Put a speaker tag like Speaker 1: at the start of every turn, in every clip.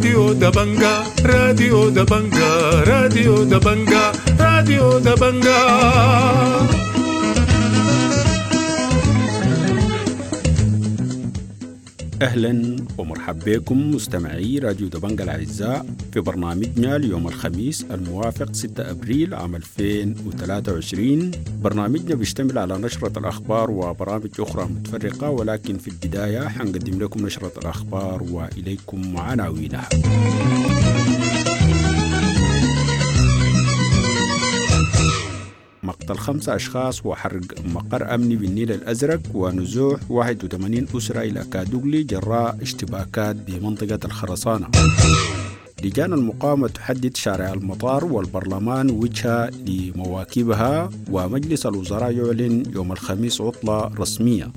Speaker 1: راديو دبنجا، راديو دبنجا، راديو دبنجا، راديو دبنجا.
Speaker 2: أهلا ومرحبا بكم مستمعي راديو دبنجا الأعزاء في برنامجنا اليوم الخميس الموافق 6 أبريل عام 2023. برنامجنا بيشتمل على نشرة الأخبار وبرامج أخرى متفرقة، ولكن في البداية حنقدم لكم نشرة الأخبار وإليكم عناوينها. مقتل 5 أشخاص وحرق مقر أمني بالنيل الأزرق ونزوح 81 أسرة إلى كادوغلي جراء اشتباكات بمنطقة الخرسانة. لجان المقاومة تحدد شارع المطار والبرلمان وجهة لمواكبها، ومجلس الوزراء يعلن يوم الخميس عطلة رسمية.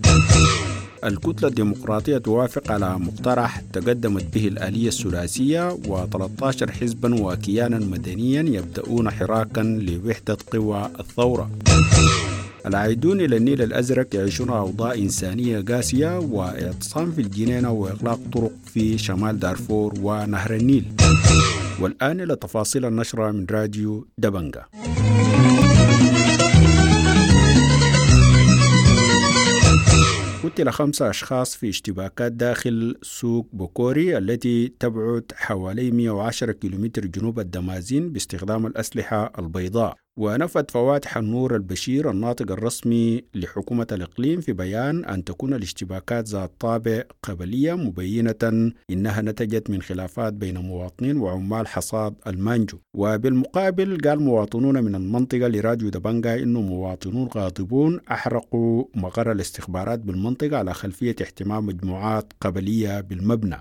Speaker 2: الكتلة الديمقراطية توافق على مقترح تقدمت به الآلية الثلاثية، و13 حزبا وكيانا مدنيا يبدأون حراكا لوحدة قوى الثورة. العائدون إلى النيل الأزرق يعيشون أوضاع إنسانية قاسية، واعتصام في الجنينة وإغلاق طرق في شمال دارفور ونهر النيل. والآن إلى تفاصيل النشرة من راديو دبنجا. قتل 5 أشخاص في اشتباكات داخل سوق بوكوري التي تبعد حوالي 110 كيلومتر جنوب الدمازين باستخدام الأسلحة البيضاء. ونفت فواتح النور البشير الناطق الرسمي لحكومة الإقليم في بيان أن تكون الاشتباكات ذات طابع قبلية، مبينة إنها نتجت من خلافات بين مواطنين وعمال حصاد المانجو. وبالمقابل قال مواطنون من المنطقة لراديو دبنجا إنه مواطنون غاضبون أحرقوا مقر الاستخبارات بالمنطقة على خلفية احتمام مجموعات قبلية بالمبنى.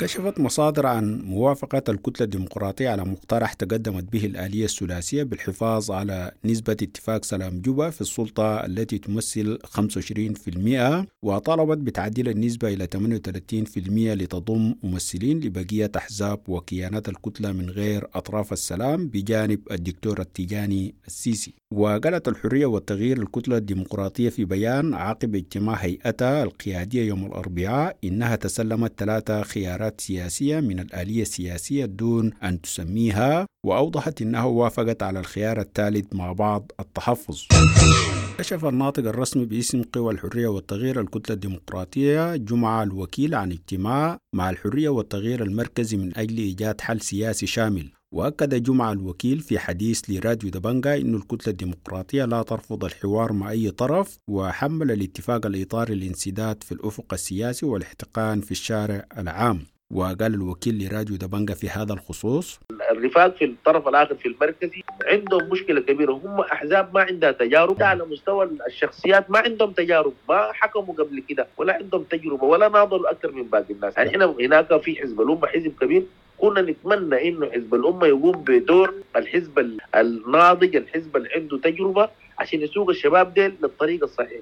Speaker 2: كشفت مصادر عن موافقة الكتلة الديمقراطية على مقترح تقدمت به الآلية الثلاثية بالحفاظ على نسبة اتفاق سلام جوبا في السلطة التي تمثل 25%، وطالبت بتعديل النسبة إلى 38% لتضم ممثلين لبقية أحزاب وكيانات الكتلة من غير أطراف السلام بجانب الدكتور التيجاني السيسي. وقالت الحرية والتغيير الكتلة الديمقراطية في بيان عقب اجتماع هيئتها القيادية يوم الأربعاء إنها تسلمت 3 خيارات سياسية من الآلية السياسية دون أن تسميها، وأوضحت أنها وافقت على الخيار الثالث مع بعض التحفظ. كشف الناطق الرسمي باسم قوى الحرية والتغيير الكتلة الديمقراطية جمعة الوكيل عن اجتماع مع الحرية والتغيير المركزي من أجل إيجاد حل سياسي شامل. وأكد جمعة الوكيل في حديث لراديو دبنجا أن الكتلة الديمقراطية لا ترفض الحوار مع أي طرف، وحمل الاتفاق الإطاري الانسداد في الأفق السياسي والاحتقان في الشارع العام. وقال الوكيل لراديو دبنجا في هذا الخصوص:
Speaker 3: الرفاق في الطرف الآخر في المركزي عندهم مشكلة كبيرة، هم أحزاب ما عندها تجارب على مستوى الشخصيات، ما عندهم تجارب، ما حكموا قبل كده ولا عندهم تجربة ولا ناضلوا أكثر من باقي الناس. يعني إحنا هناك في حزب الأمة، حزب كبير، كنا نتمنى إنه حزب الأمة يقوم بدور الحزب الناضج، الحزب اللي عنده تجربة، عشان يسوق الشباب ديل للطريق الصحيح.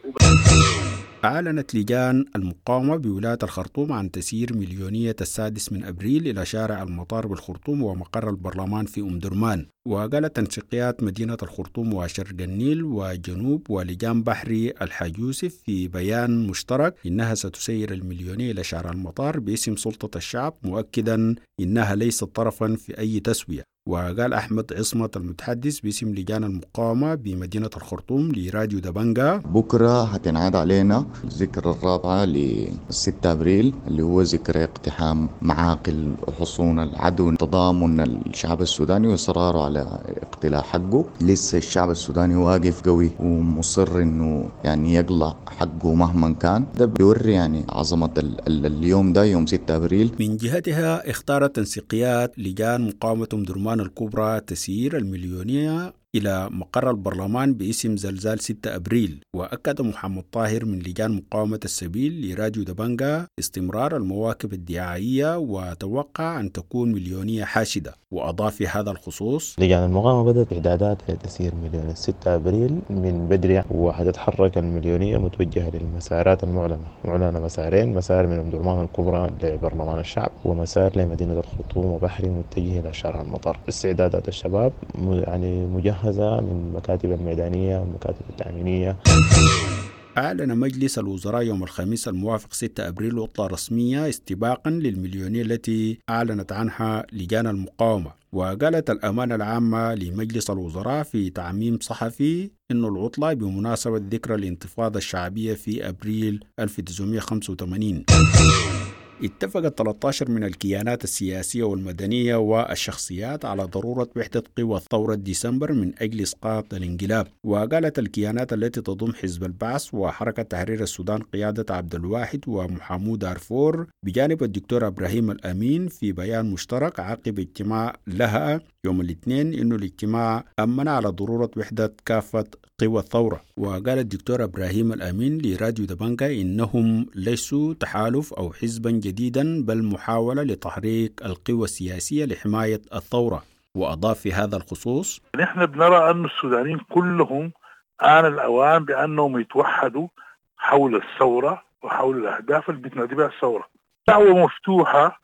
Speaker 2: أعلنت لجان المقاومة بولاية الخرطوم عن تسيير مليونية 6 أبريل إلى شارع المطار بالخرطوم ومقر البرلمان في أم درمان. وقالت تنسيقيات مدينة الخرطوم وشرق النيل وجنوب ولجان بحري الحاج يوسف في بيان مشترك إنها ستسير المليونية إلى شارع المطار باسم سلطة الشعب، مؤكدا إنها ليست طرفا في أي تسوية. وقال أحمد عصمت المتحدث باسم لجان المقاومة بمدينة الخرطوم لراديو دبنجا:
Speaker 4: بكرة هتنعاد علينا الذكرى الرابعة ل6 أبريل اللي هو ذكرى اقتحام معاقل حصون العدو، تضامن الشعب السوداني وإصراره على اقتلاع حقه. لسه الشعب السوداني واقف قوي ومصر إنه يعني يقلع حقه مهما كان. ده بيوري يعني عظمة اليوم ده، يوم 6 أبريل.
Speaker 2: من جهتها اختارت تنسيقيات لجان مقاومة أم درمان الكبرى تسيير المليونية إلى مقر البرلمان باسم زلزال 6 أبريل. وأكد محمد طاهر من لجان مقاومة السبيل لراديو دبنجا استمرار المواكب الدعائية وتوقع أن تكون مليونية حاشدة. وأضاف في هذا الخصوص:
Speaker 5: لجان المقاومة بدأت إعدادات لتسيير مليون 6 أبريل من بدري، وحتتحرك المليونية متوجهة للمسارات المعلنة. معلنة مسارين، مسار من أم درمان الكبرى لبرلمان الشعب، ومسار لمدينة الخرطوم وبحري متجه إلى شارع المطار. استعدادات الشباب يعني مجهزة من المكاتب الميدانية والمكاتب التأمينية.
Speaker 2: أعلن مجلس الوزراء يوم الخميس الموافق 6 أبريل عطلة رسمية استباقا للمليونية التي أعلنت عنها لجان المقاومة. وقالت الأمانة العامة لمجلس الوزراء في تعميم صحفي أن العطلة بمناسبة ذكرى الانتفاضة الشعبية في أبريل 1985. اتفقت 13 من الكيانات السياسية والمدنية والشخصيات على ضرورة وحدة قوى ثورة ديسمبر من أجل إسقاط الانقلاب. وقالت الكيانات التي تضم حزب البعث وحركة تحرير السودان قيادة عبد الواحد ومحمود دارفور بجانب الدكتور إبراهيم الأمين في بيان مشترك عقب اجتماع لها يوم الاثنين إنه الاجتماع أمن على ضرورة وحدة كافة قوى الثورة. وقال الدكتور إبراهيم الأمين لراديو دبنجا إنهم ليسوا تحالف أو حزبا جديدا، بل محاولة لتحريك القوى السياسية لحماية الثورة. وأضاف في هذا الخصوص:
Speaker 6: نحن بنرى أن السودانيين كلهم آن الأوان بأنهم يتوحدوا حول الثورة وحول الأهداف اللي بتنادي بها الثورة. دعوة مفتوحة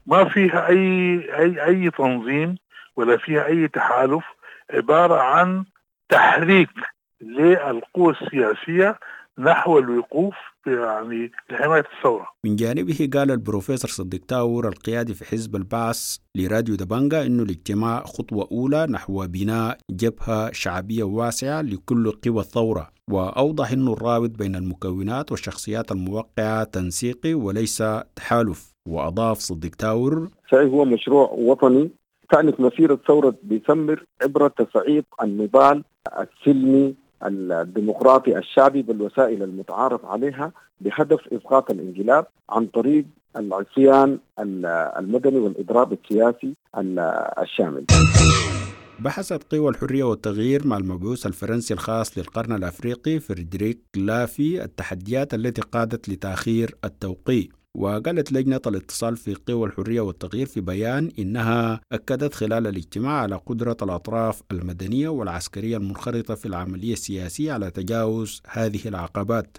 Speaker 6: ما فيها أي تنظيم ولا فيها أي تحالف، عبارة عن تحريك للقوى السياسية نحو الوقوف يعني لحماية الثورة.
Speaker 2: من جانبه قال البروفيسور صديق تاور القيادي في حزب البعث لراديو دبنجا إنه الاجتماع خطوة أولى نحو بناء جبهة شعبية واسعة لكل قوى الثورة. وأوضح أنه الرابط بين المكونات والشخصيات الموقعة تنسيقي وليس تحالف. وأضاف صديق تاور:
Speaker 7: صحيح هو مشروع وطني كانت مسيرة ثورة ديسمبر عبر تصعيد النضال السلمي الديمقراطي الشعبي بالوسائل المتعارف عليها بهدف إسقاط الانقلاب عن طريق العصيان المدني والإضراب السياسي الشامل.
Speaker 2: بحثت قوى الحرية والتغيير مع المبعوث الفرنسي الخاص للقرن الأفريقي فريدريك لافي التحديات التي قادت لتأخير التوقيع. وقالت لجنة الاتصال في قوى الحرية والتغيير في بيان إنها أكدت خلال الاجتماع على قدرة الأطراف المدنية والعسكرية المنخرطة في العملية السياسية على تجاوز هذه العقبات.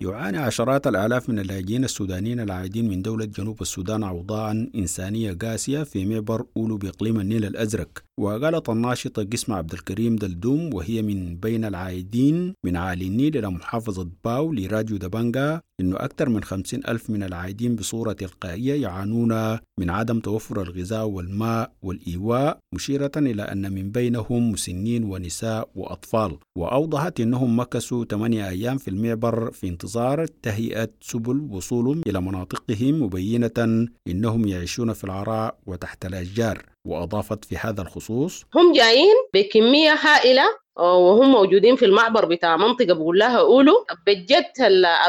Speaker 2: يعاني عشرات الآلاف من اللاجئين السودانيين العائدين من دولة جنوب السودان أوضاعا إنسانية قاسية في معبر أولو بإقليم النيل الأزرق. وقالت الناشطة قسمة عبد الكريم دلدوم وهي من بين العائدين من عالي النيل إلى محافظة باو لراديو دبنجا إنه أكثر من 50 ألف من العائدين بصورة تلقائية يعانون من عدم توفر الغذاء والماء والإيواء، مشيرة إلى أن من بينهم مسنين ونساء وأطفال. وأوضحت أنهم مكثوا 8 أيام في المعبر في انتظار تهيئة سبل وصولهم إلى مناطقهم، مبينة أنهم يعيشون في العراء وتحت الأشجار. وأضافت في هذا الخصوص:
Speaker 8: هم جايين بكمية هائلة وهم موجودين في المعبر بتاع منطقة بقول لها أولو. بجد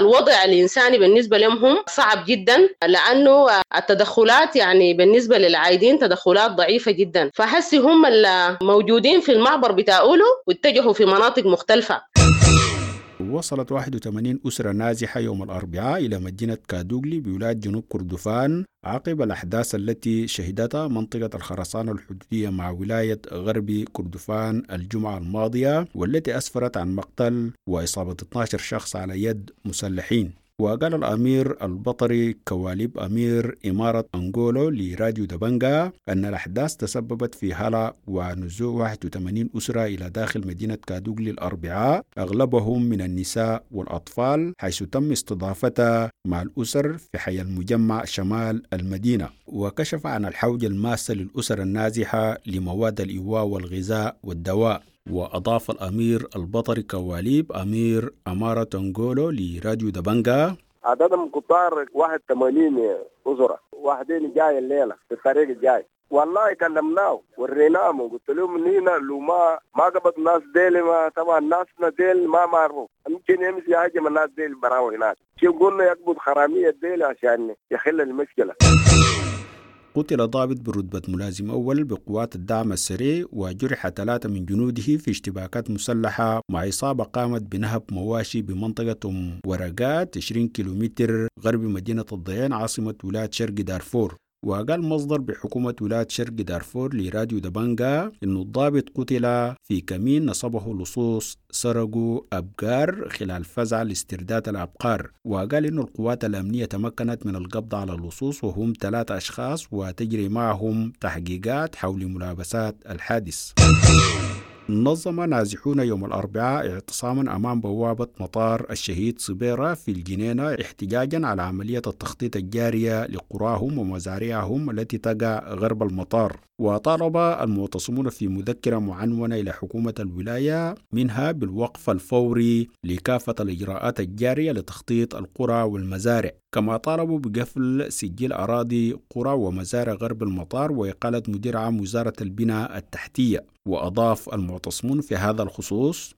Speaker 8: الوضع الإنساني بالنسبة لهم هم صعب جدا، لأنه التدخلات يعني بالنسبة للعايدين تدخلات ضعيفة جدا، فحسي هم الموجودين في المعبر بتاع أولو واتجهوا في مناطق مختلفة.
Speaker 2: وصلت 81 أسرة نازحة يوم الأربعاء إلى مدينة كادوغلي بولاية جنوب كردفان عقب الأحداث التي شهدتها منطقة الخرسانة الحدودية مع ولاية غرب كردفان الجمعة الماضية، والتي أسفرت عن مقتل وإصابة 12 شخص على يد مسلحين. وقال الأمير البطري كواليب أمير إمارة أنغولو لراديو دبنجا أن الأحداث تسببت في هلع ونزوح 81 أسرة إلى داخل مدينة كادوغلي الأربعاء، أغلبهم من النساء والأطفال، حيث تم استضافتها مع الأسر في حي المجمع شمال المدينة. وكشف عن الحوجة الماسة للأسر النازحة لمواد الإيواء والغذاء والدواء. وأضاف الأمير البطري كواليب أمير أمارة أنغولو لراديو دبنجا:
Speaker 9: عددهم كتار 81 أسرة، واحدين جاي الليلة في الطريق الجاي. والله كلمناه وريناهم وقلت لهم نينا لو ما قبض الناس ديل، ما طبعا ناسنا ديل ما معروف، يمكن يمشي يهاجم الناس ديل براو هناك. شو قلنا يقبض حرامية ديل عشان يحل المشكلة.
Speaker 2: قتل ضابط برتبة ملازم أول بقوات الدعم السريع وجرح 3 من جنوده في اشتباكات مسلحة مع عصابة قامت بنهب مواشي بمنطقة أم ورقات 20 كيلومتر غرب مدينة الضيان عاصمة ولاية شرق دارفور. وقال مصدر بحكومة ولاية شرق دارفور لراديو دبنجا إنه الضابط قتل في كمين نصبه لصوص سرقوا أبقار خلال فزع لاسترداد الأبقار. وقال إنه القوات الأمنية تمكنت من القبض على اللصوص وهم 3 أشخاص وتجري معهم تحقيقات حول ملابسات الحادث. نظم نازحون يوم الأربعاء اعتصاما أمام بوابة مطار الشهيد صبيرة في الجنينة احتجاجا على عملية التخطيط الجارية لقراهم ومزارعهم التي تقع غرب المطار. وطالب المعتصمون في مذكرة معنونة إلى حكومة الولاية منها بالوقف الفوري لكافة الإجراءات الجارية لتخطيط القرى والمزارع، كما طالبوا بقفل سجل أراضي قرى ومزارع غرب المطار وإقالة مدير عام وزارة البنى التحتية. وأضاف المعتصمون في هذا الخصوص: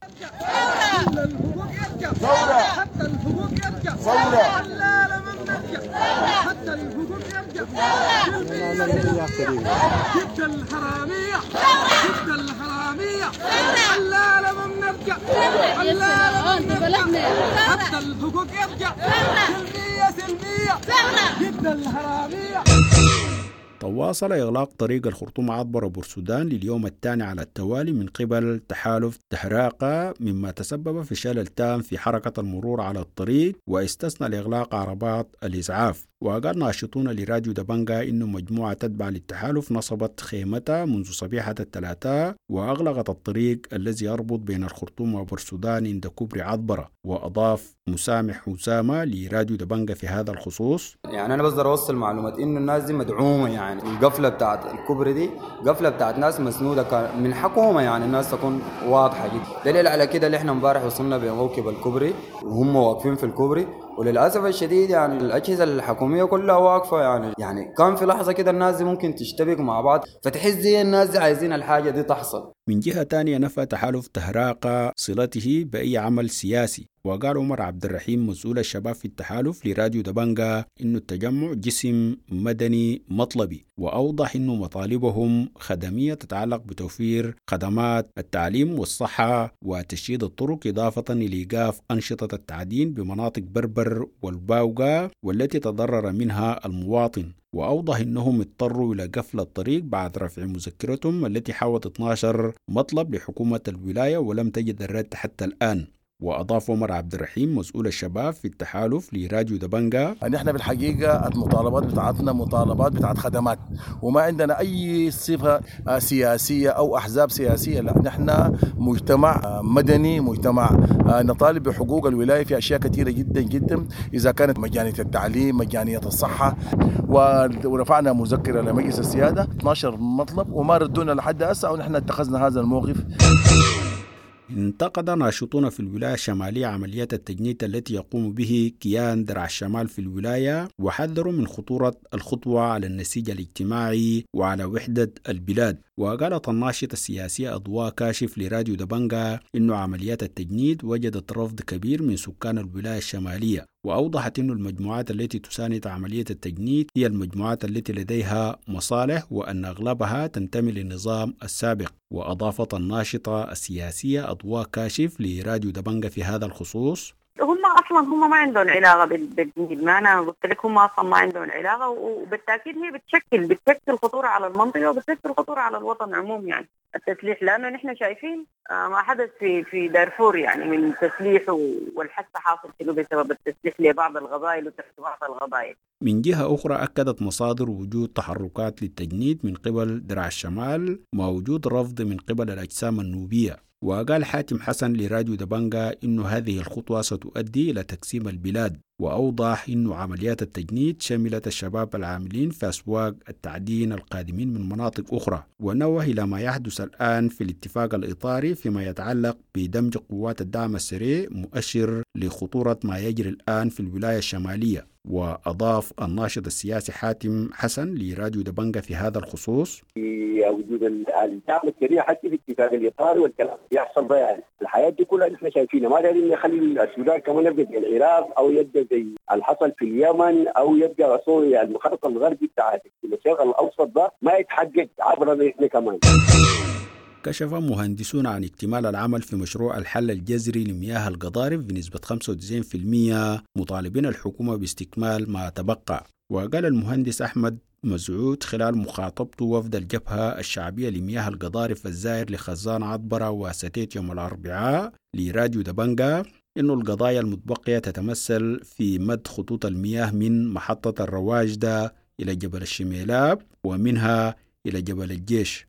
Speaker 2: تواصل إغلاق طريق الخرطوم عبر بورسودان لليوم الثاني على التوالي من قبل تحالف تهراقة، مما تسبب في شلل تام في حركة المرور على الطريق، واستثنى الإغلاق عربات الإسعاف. وقال ناشطون لراديو دبنجا إنه مجموعة تتبع للتحالف نصبت خيمتها منذ صبيحة الثلاثاء وأغلقت الطريق الذي يربط بين الخرطوم وبورسودان عند كوبري عطبرة. وأضاف مسامح أسامة لراديو دبنجا في هذا الخصوص:
Speaker 10: يعني أنا بقدر أوصل معلومات إنه الناس دي مدعومة، يعني القفلة بتاعت الكوبري دي قفلة بتاعت ناس مسنودة من حكومة، يعني الناس تكون واضحة جدا. دليل على كده اللي احنا امبارح وصلنا بموكب الكوبري وهم واقفين في الكوبري، وللاسف الشديد يعني الاجهزه الحكوميه كلها واقفه، يعني كان في لحظه كده الناس دي ممكن تشتبك مع بعض، فتحس زي الناس دي عايزين الحاجه دي تحصل.
Speaker 2: من جهه ثانيه نفى تحالف تهراقة صلته باي عمل سياسي. وقال عمر عبد الرحيم مسؤول الشباب في التحالف لراديو دبنجا إنه التجمع جسم مدني مطلبي، وأوضح إنه مطالبهم خدمية تتعلق بتوفير خدمات التعليم والصحة وتشييد الطرق، إضافة لإيقاف أنشطة التعدين بمناطق بربر والباوغا والتي تضرر منها المواطن. وأوضح أنهم اضطروا إلى قفل الطريق بعد رفع مذكرتهم التي حوت 12 مطلب لحكومة الولاية ولم تجد الرد حتى الآن. وأضاف عمر عبد الرحيم مسؤول الشباب في التحالف لراديو دبنجا:
Speaker 11: نحن بالحقيقة المطالبات بتاعتنا مطالبات بتاعت خدمات، وما عندنا أي صفة سياسية أو أحزاب سياسية، لا، نحن مجتمع مدني، مجتمع نطالب بحقوق الولاية في أشياء كثيرة جدا جدا، إذا كانت مجانية التعليم، مجانية الصحة، ورفعنا مذكرة لمجلس السيادة 12 مطلب وما ردونا لحد هسه، ونحن اتخذنا هذا الموقف.
Speaker 2: انتقد ناشطون في الولاية الشمالية عمليات التجنيد التي يقوم به كيان درع الشمال في الولاية، وحذروا من خطورة الخطوة على النسيج الاجتماعي وعلى وحدة البلاد. وقالت الناشطة السياسية أضواء كاشف لراديو دبنجا إنه عمليات التجنيد وجدت رفض كبير من سكان الولاية الشمالية، وأوضحت أن المجموعات التي تساند عملية التجنيد هي المجموعات التي لديها مصالح وأن أغلبها تنتمي للنظام السابق. وأضافت الناشطة السياسية أضواء كاشف لراديو دبنجا في هذا الخصوص:
Speaker 12: هم اصلا هم ما عندهم علاقه بالتجنيد، ما انا قلت لك هم اصلا ما عندهم علاقه، وبالتاكيد هي بتشكل خطوره على المنطقه وبتشكل خطوره على الوطن عموم، يعني التسليح، لانه نحن شايفين ما حدث في دارفور يعني من تسليح والحث حاصل كله بسبب التسليح لبعض القبائل وتحت بعض القبائل.
Speaker 2: من جهة أخرى أكدت مصادر وجود تحركات للتجنيد من قبل درع الشمال مع وجود رفض من قبل الأجسام النوبية. وقال حاتم حسن لراديو دبنجا إنه هذه الخطوة ستؤدي إلى تقسيم البلاد، وأوضح إنه عمليات التجنيد شملت الشباب العاملين في أسواق التعدين القادمين من مناطق أخرى، ونوه إلى ما يحدث الآن في الاتفاق الإطاري فيما يتعلق بدمج قوات الدعم السريع مؤشر لخطورة ما يجري الآن في الولاية الشمالية. وأضاف الناشط السياسي حاتم حسن لراديو دبنجا في هذا الخصوص:
Speaker 13: في وجود الدعم السريع حتى في اتفاق الإطار والكلام يحصل ده، يعني الحياة دي كلها نحن شايفينها، ما دارين نخلي السودان كمان يبقى زي العراق أو يبقى زي اللي حصل في اليمن أو يبقى سوريا، المخطط الغربي بتاع الشرق الأوسط ده ما يتحقق عبرنا نحن كمان.
Speaker 2: كشف مهندسون عن اكتمال العمل في مشروع الحل الجذري لمياه القضارف بنسبة 95%، مطالبين الحكومة باستكمال ما تبقى. وقال المهندس أحمد مسعود خلال مخاطبته وفد الجبهة الشعبية لمياه القضارف الزائر لخزان عطبرة وستيت يوم الأربعاء لراديو دبنجا إنه القضايا المتبقية تتمثل في مد خطوط المياه من محطة الرواجدة إلى جبل الشميلاب ومنها إلى جبل الجيش.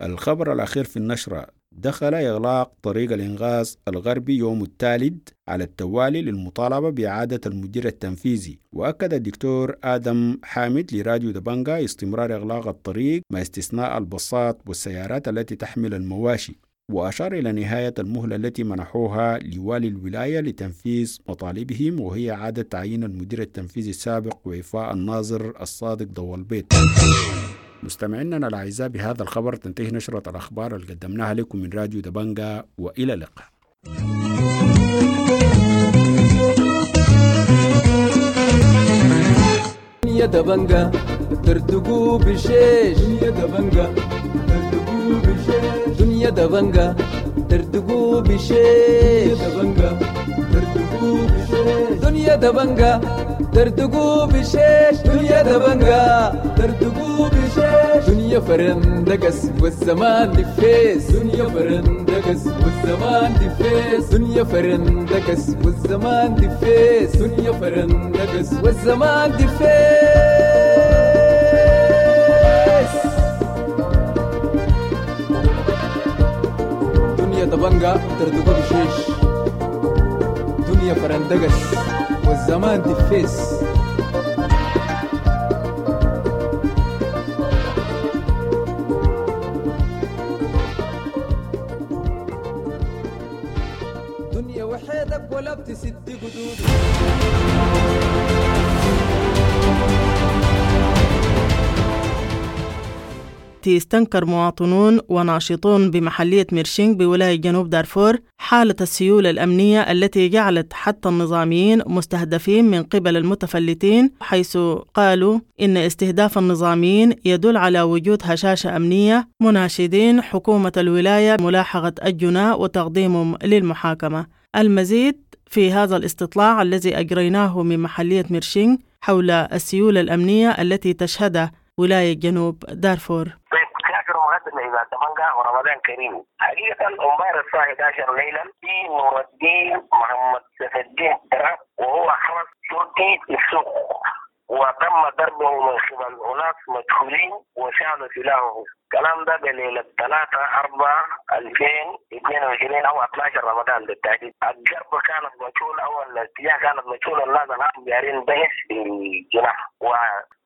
Speaker 2: الخبر الأخير في النشرة: دخل إغلاق طريق الإنغاز الغربي يوم الثالث على التوالي للمطالبة بإعادة المدير التنفيذي. وأكد الدكتور آدم حامد لراديو دبنجا استمرار إغلاق الطريق مع استثناء الباصات والسيارات التي تحمل المواشي، وأشار إلى نهاية المهلة التي منحوها لوالي الولاية لتنفيذ مطالبهم، وهي إعادة تعيين المدير التنفيذي السابق وإعفاء الناظر الصادق ضوء البيت. مستمعينا الأعزاء، بهذا الخبر تنتهي نشرة الأخبار اللي قدمناها لكم من راديو دبنجا، وإلى اللقاء.
Speaker 14: يا دبنجا ترتقوا بشيش، يا دبنجا ترتقوا بشيش، دنيا دبنجا ترتقوا بشيش، يا دبنجا ترتقوا بشيش، دنيا دبنجا ترتقوا بشيش، دنيا دبنجا ترتقوا بشيش، دنيا فرندقس والزمان دفيس، دنيا فرندقس والزمان دفيس، دنيا فرندقس والزمان دفيس، دنيا فرندقس والزمان دفيس. دنيا دبنجا ترتقوا بشيش، دنيا فرندقس والزمان دفيس. دنيا وحيدك ولا بتسد قدود.
Speaker 15: استنكر مواطنون وناشطون بمحلية ميرشينغ بولاية جنوب دارفور حالة السيولة الأمنية التي جعلت حتى النظاميين مستهدفين من قبل المتفلتين، حيث قالوا إن استهداف النظاميين يدل على وجود هشاشة أمنية، مناشدين حكومة الولاية ملاحقة الجناة وتقديمهم للمحاكمة. المزيد في هذا الاستطلاع الذي أجريناه من محلية ميرشينغ حول السيولة الأمنية التي تشهدها ولاية جنوب دارفور.
Speaker 16: ورمضان كريم. حقيقة امبارح الساعة 11 ليلا في نور الدين محمد سيف الدين درب، وهو حرس شرطي في السوق، وتم ضربه من قبل أناس مجهولين وشالوا سلاحه. الكلام ده بليلة 3/4/2022 أو 12 رمضان بالتحديد. الضرب كانت مجهولة أو الاتجاه كانت مجهولة، الناس الآن جارين بحث في الجناح.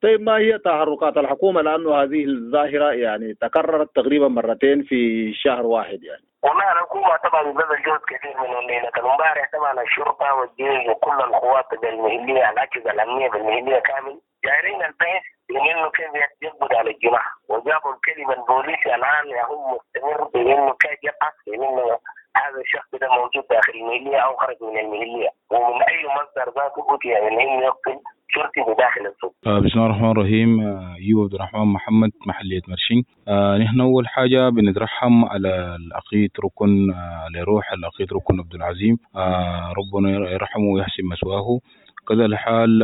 Speaker 17: طيب، ما هي تحركات الحكومة؟ لأنه هذه الظاهرة يعني تكررت تقريبا مرتين في شهر واحد يعني.
Speaker 16: والله الحكومة طبعا بذل جهد كثير من الليلة امبارح، طبعا الشرطة والجيش وكل القوات بالمهلية، الأجهزة الأمنية بالمهلية كامل جارين البحث بأنه كيف يقبض على الجناح، وجابوا الكلمة البوليسي الآن هم مستمر بأنه كيف يبحث بأنه هذا الشخص ده موجود داخل المهلية أو خرج من المهلية، ومن أي مصدر ذاته أتي من أن يقتل شرطي بداخل السوق.
Speaker 18: بسم الله الرحمن الرحيم. أيوب عبد الرحمن محمد، محلية مرشين. نحن أول حاجة بنترحم على العقيد ركن، لروح العقيد ركن عبد العظيم، ربنا يرحمه ويحسن مثواه. كذا الحال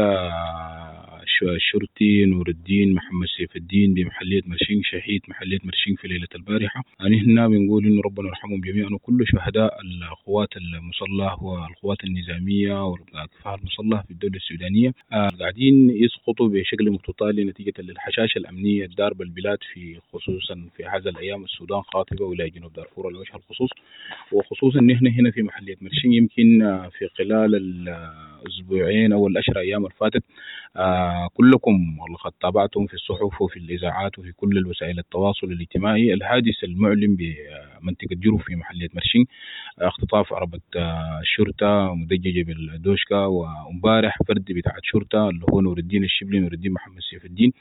Speaker 18: الشرطي نور الدين محمد سيف الدين بمحلية مرشين، شهيد محلية مرشين في ليلة البارحة. نحن بنقول إنه ربنا يرحمهم جميعا وكل شهداء القوات المسلحة والقوات النظامية والكفاح المسلح في الدولة السودانية، قاعدين يسقطوا بشكل متتالي نتيجة للحشاشة الأمنية الضاربة البلاد، في خصوصا في هذا الأيام السودان خاطبة ولاية جنوب دارفور على وجه الخصوص، وخصوصا نحن هنا في محلية مرشين. يمكن في خلال الأسبوعين أو العشر أيام الفاتت كلكم لقد تابعتم في الصحف وفي الإذاعات وفي كل الوسائل التواصل الاجتماعي الحادث المعلم بمنطقة جروف في محلية مرشين، اختطاف عربة الشرطة مدججة بالدوشكا، وامبارح فرد بتاع شرطة اللي هو نور الدين الشبلي، نور الدين محمد سيف الدين،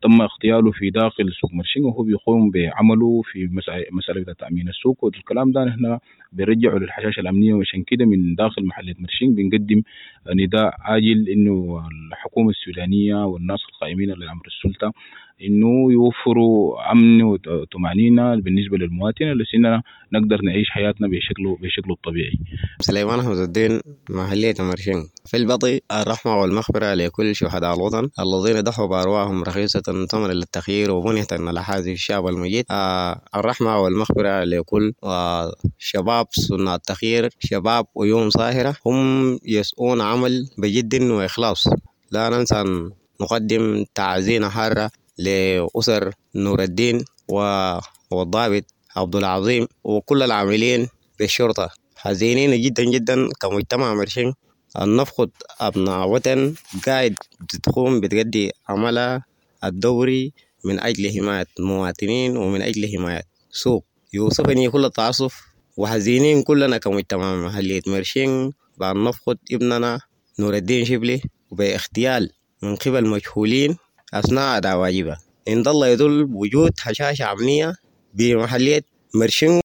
Speaker 18: تم اغتياله في داخل سوق مرشين وهو بيقوم بعمله في مسألة بتاع تأمين السوق. والكلام ده نحن بنرجعه للحشاشة الأمنية، وعشان كده من داخل محلية مرشين بنقدم نداء عاجل إنه الحكومة السودانية والناس القائمين على أمر السلطة إنه يوفروا أمن وطمأنينة بالنسبة للمواطن اللي نقدر نعيش حياتنا بشكله الطبيعي.
Speaker 19: سليمان أحمد الدين، محلية مرشين. في البطي الرحمة والمغفرة لكل شهداء الوطن الذين ضحوا بأرواحهم رخيصة ثمنا للتغيير وبنية على الشعب المجيد. الرحمة والمغفرة لكل شباب صناع التغيير، شباب عيون صاهرة هم يسعون عمل بجد وإخلاص. لا ننسى أن نقدم تعزينا حارة لأسر نور الدين والضابط عبد العظيم وكل العاملين بالشرطة. حزينين جدا جدا كمجتمع مرشين أن نفقد أبناء وطن قاعد تقوم بتقدي عملها الدوري من أجل حماية المواطنين ومن أجل حماية سوق. يوصفني كل التعاطف وحزينين كلنا كمجتمع محلية مرشين بأن نفقد ابننا نور الدين شبلي باغتيال من قبل مجهولين أثناء أداء واجبه. إن الله يدل وجود هشاشة أمنية بمحلية مرشين.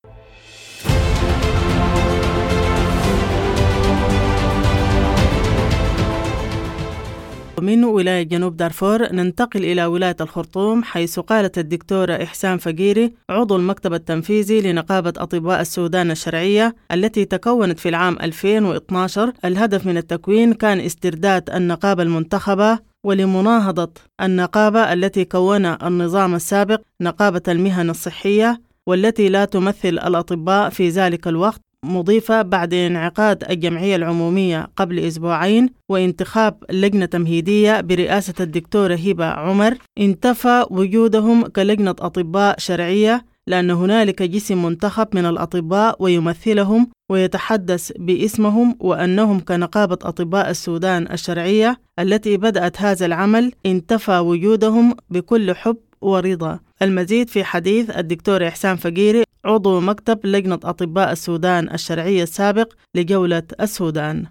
Speaker 15: من ولاية جنوب دارفور ننتقل إلى ولاية الخرطوم، حيث قالت الدكتورة إحسان فقيري عضو المكتب التنفيذي لنقابة أطباء السودان الشرعية التي تكونت في العام 2012، الهدف من التكوين كان استرداد النقابة المنتخبة ولمناهضة النقابة التي كون النظام السابق نقابة المهن الصحية والتي لا تمثل الأطباء في ذلك الوقت، مضيفة بعد انعقاد الجمعية العمومية قبل أسبوعين وانتخاب لجنة تمهيدية برئاسة الدكتورة هبة عمر، انتفى وجودهم كلجنة أطباء شرعية لأن هنالك جسم منتخب من الأطباء ويمثلهم ويتحدث باسمهم، وأنهم كنقابة أطباء السودان الشرعية التي بدأت هذا العمل انتفى وجودهم بكل حب ورضا. المزيد في حديث الدكتور إحسان فقيري عضو مكتب لجنة أطباء السودان الشرعية السابق لجولة السودان.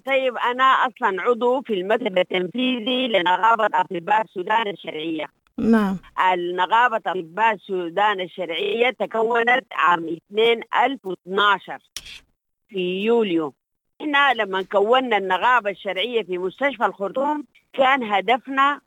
Speaker 20: طيب أنا أصلا عضو في المكتب التنفيذي لنقابة أطباء السودان الشرعية.
Speaker 15: نعم.
Speaker 20: النقابة أطباء السودان الشرعية تكونت عام 2012 في يوليو. إحنا لما كونا النقابة الشرعية في مستشفى الخرطوم كان هدفنا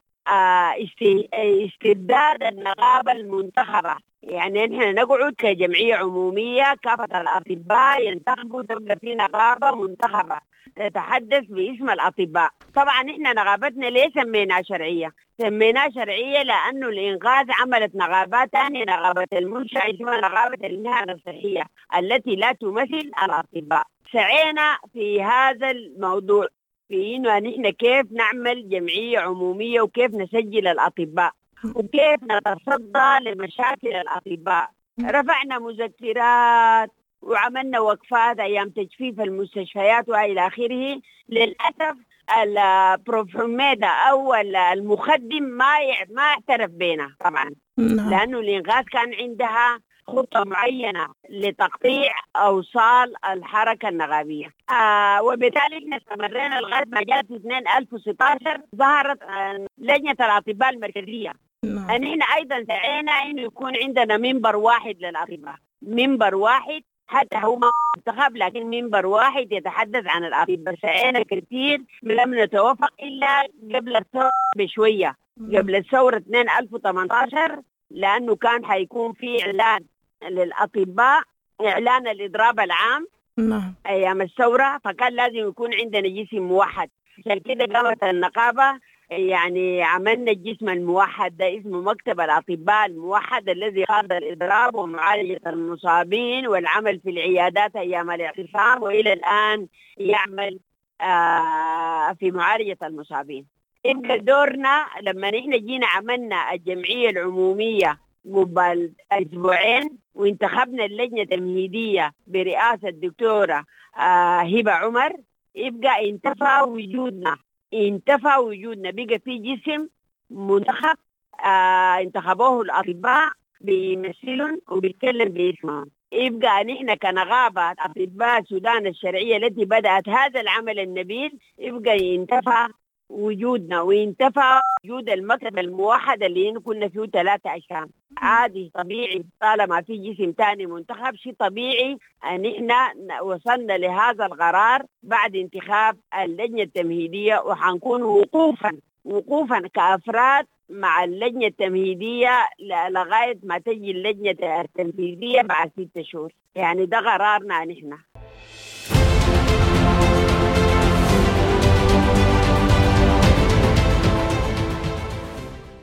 Speaker 20: استرداد النقابة المنتخبة، يعني نحن نقعد كجمعية عمومية كافة الأطباء ينتخبوا، تبقى في نقابة منتخبة تتحدث باسم الأطباء. طبعا نحن نقابتنا ليه سميناها شرعية؟ سميناها شرعية لأنه الإنقاذ عملت نقابات ثانية، نقابة المنشأة اسمها نقابة المهن الصحية التي لا تمثل الأطباء. سعينا في هذا الموضوع في إنه نحن كيف نعمل جمعية عمومية وكيف نسجل الأطباء وكيف نتصدى لمشاكل الأطباء. رفعنا مذكرات وعملنا وقفات أيام تجفيف المستشفيات وإلى آخره. للأسف البروف حميدة أو المخدم ما اعترف بينا طبعا، لأنه الإنقاذ كان عندها خطة معينة لتقطيع أوصال الحركة النغابية، وبالتالي احنا استمرينا لغاية ما جاءت في 2016 ظهرت لجنة الأطباء المركزية. نحن أيضا سعينا إنه يكون عندنا منبر واحد للأطباء، منبر واحد حتى هو ما منتخب لكن منبر واحد يتحدث عن الأطباء. سعينا كثير لم نتوافق إلا قبل الثورة بشوية، قبل الثورة 2018، لأنه كان حيكون في إعلان للأطباء، إعلان الإضراب العام أيام الثورة، فكان لازم يكون عندنا جسم موحد. عشان كده قامت النقابة، يعني عملنا الجسم الموحد ده اسمه مكتب الأطباء الموحد الذي قاد الإضراب ومعالجة المصابين والعمل في العيادات أيام الاعتصام، وإلى الآن يعمل في معالجة المصابين. يبقى دورنا لما نحن جينا عملنا الجمعية العمومية قبل أسبوعين وانتخبنا اللجنة التمهيدية برئاسة الدكتورة هبة عمر، يبقى انتفى وجودنا، انتفى وجودنا، بقى في جسم منتخب انتخبوه الأطباء بيمثلهم وبيتكلم باسمهم. يبقى نحن كنغابة أطباء السودان الشرعية التي بدأت هذا العمل النبيل، يبقى انتفى وجودنا وانتفى وجود المكتب الموحد اللي كنا فيه 3 أجسام. عادي طبيعي طالما في جسم تاني منتخب، شيء طبيعي ان احنا وصلنا لهذا القرار بعد انتخاب اللجنة التمهيدية، وحنكون وقوفا كأفراد مع اللجنة التمهيدية لغاية ما تجي اللجنة التنفيذية بعد 6 شهور. يعني ده قرارنا نحن.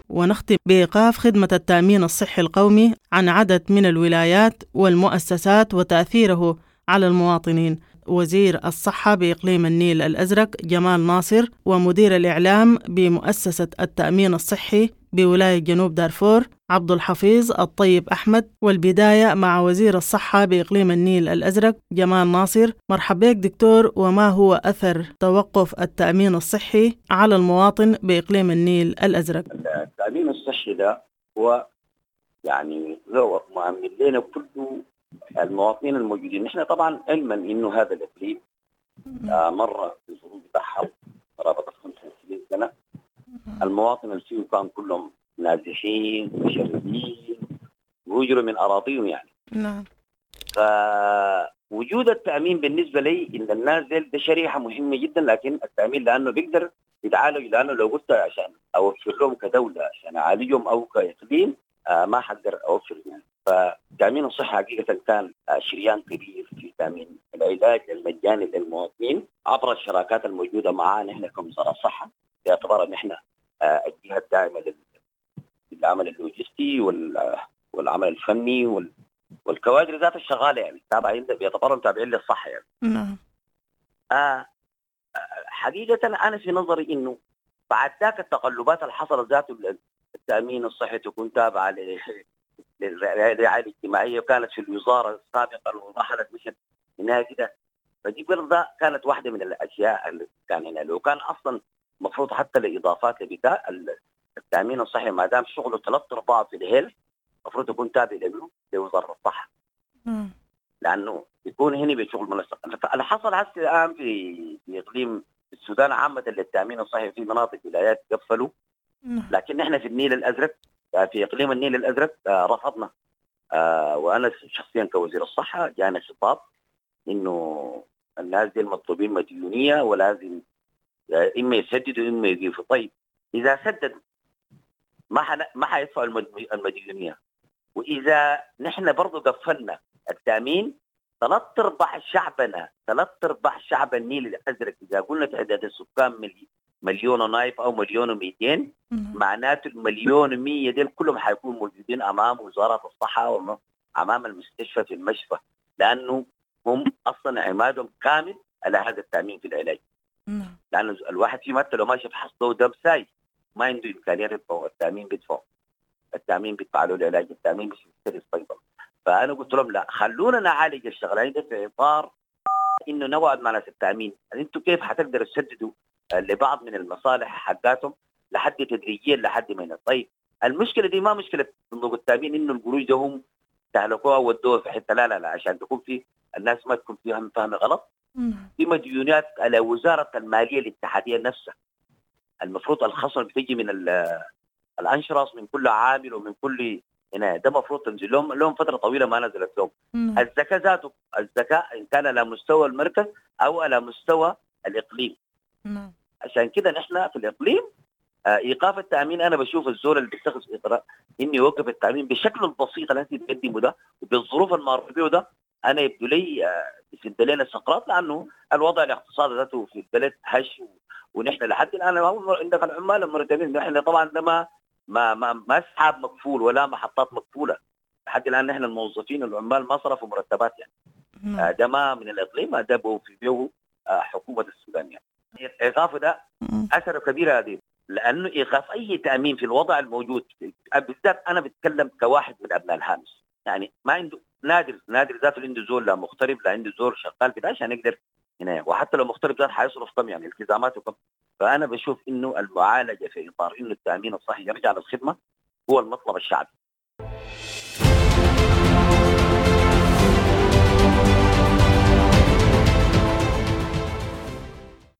Speaker 15: ونختم بإيقاف خدمة التأمين الصحي القومي عن عدد من الولايات والمؤسسات وتأثيره على المواطنين. وزير الصحة بإقليم النيل الأزرق جمال ناصر ومدير الإعلام بمؤسسة التأمين الصحي بولاية جنوب دارفور عبد الحفيظ الطيب أحمد، والبداية مع وزير الصحة بإقليم النيل الأزرق جمال ناصر. مرحبا بك دكتور، وما هو أثر توقف التأمين الصحي على المواطن بإقليم النيل الأزرق؟
Speaker 21: التأمين الصحي ده هو يعني هو مؤمن لنا كل المواطنين الموجودين. نحن طبعا علما انه هذا الاقليم مر بظروف حرب قرابة 25 سنة. المواطن اللي فيه كان كلهم نازحين مشردين وهجروا من اراضيهم يعني.
Speaker 15: نعم.
Speaker 21: فوجود التامين بالنسبة لي ان الناس ده شريحة مهمة جدا، لكن التامين لانه بيقدر يتعالج، لانه لو قلت عشان اوفر لهم كدولة عشان اعالجهم او كاقليم ما حقدر اوفر يعني. فتامين الصحة حقيقة كان شريان كبير في تامين العلاج المجاني للمواطنين عبر الشراكات الموجودة معنا نحن كوزارة صحة، باعتبار ان احنا الجهة الداعمة للعمل اللوجستي والعمل الفني والكوادر ذات الشغاله يعني تابعين، بيعتبروا تابعين للصحة يعني.
Speaker 15: نعم.
Speaker 21: حقيقة انا في نظري انه بعد ذاك التقلبات اللي حصلت ذاته التامين الصحي تكون تابعه للرعاية الاجتماعية وكانت في الوزارة سابقا ورحلت مشت هناك كده، فدي برضه كانت واحدة من الاشياء اللي كان هنا. لو كان اصلا المفروض حتى الاضافات بتاع التامين الصحي ما دام شغله 3/4 في الهيلث المفروض يكون تابع لوزارة الصحة، لانه يكون هنا بشغل منسق. اللي حصل هسه الان في اقليم السودان عامة للتامين الصحي في مناطق ولايات قفلوا، لكن احنا في النيل الازرق في اقليم النيل الازرق رفضنا. وانا شخصيا كوزير الصحة جانا خطاب انه الناس دي المطلوبين مديونية ولازم اما يسددوا اما يقفوا. طيب اذا سددوا ما حيدفعوا المديونيه، واذا نحن برضو قفلنا التامين 3/4 شعبنا، 3/4 شعب النيل الازرق، اذا قلنا تعداد السكان 1.5 مليون او 1.2 مليون، معناته 1.1 مليون ديل كلهم حيكونوا موجودين امام وزارة الصحة وامام المستشفى في المشفى، لانه هم اصلا عمادهم كامل على هذا التامين في العلاج. لانه الواحد في حتى لو ماشي بحصله دم ساي ما عنده امكانية يدفع، التامين بيدفعه، التامين بيدفع له العلاج، التامين بيشتري الصيدله. فانا قلت لهم لا، خلونا نعالج الشغلانة دي في اطار انه نقعد مع ناس التامين، انتم كيف حتقدروا تسددوا لبعض من المصالح حقاتهم لحد تدريجيا لحد ما هنا. طيب المشكلة دي ما مشكلة صندوق التامين انه القروش ده هم استهلكوها ودوها في حتة، لا لا لا، عشان تكون في الناس ما تكون فيها فهم غلط. في مديونات على وزارة المالية الاتحادية نفسها، المفروض الخصم بتيجي من الانشراص من كل عامل ومن كل هنا، ده المفروض تنزل لهم فترة طويلة ما نزلت لهم. الزكاة ذاته، الزكاة ان كان على مستوى المركز او على مستوى الاقليم. عشان كده نحن في الاقليم ايقاف التامين، انا بشوف الزول اللي بيتخذ اجراء انه يوقف التامين بالشكل البسيط اللي انت بتقدمه ده وبالظروف المار بيه ده، انا يبدو لي بيسد لنا السقراط، لانه الوضع الاقتصادي ذاته في البلد هش، ونحن لحد الان عندك العمال المرتبين، نحن طبعا ده ما ما ما ما اسحاب مقفول ولا محطات مقفولة لحد الان، نحن الموظفين العمال ما صرفوا مرتبات يعني. ده ما من الاقليم، ده في بيه حكومة السودان يعني. ايقافه ده اثره كبير هذه، لانه ايقاف اي تامين في الوضع الموجود بالذات، انا بتكلم كواحد من ابناء الهامش يعني، ما عنده نادر ذاته عنده زول لا مغترب لا عنده زول شغال بتاع عشان يقدر هنا، وحتى لو مغترب ذات حيصرف كم يعني التزاماته كم. فانا بشوف انه المعالجة في اطار انه التامين الصحي يرجع للخدمة هو المطلب الشعبي.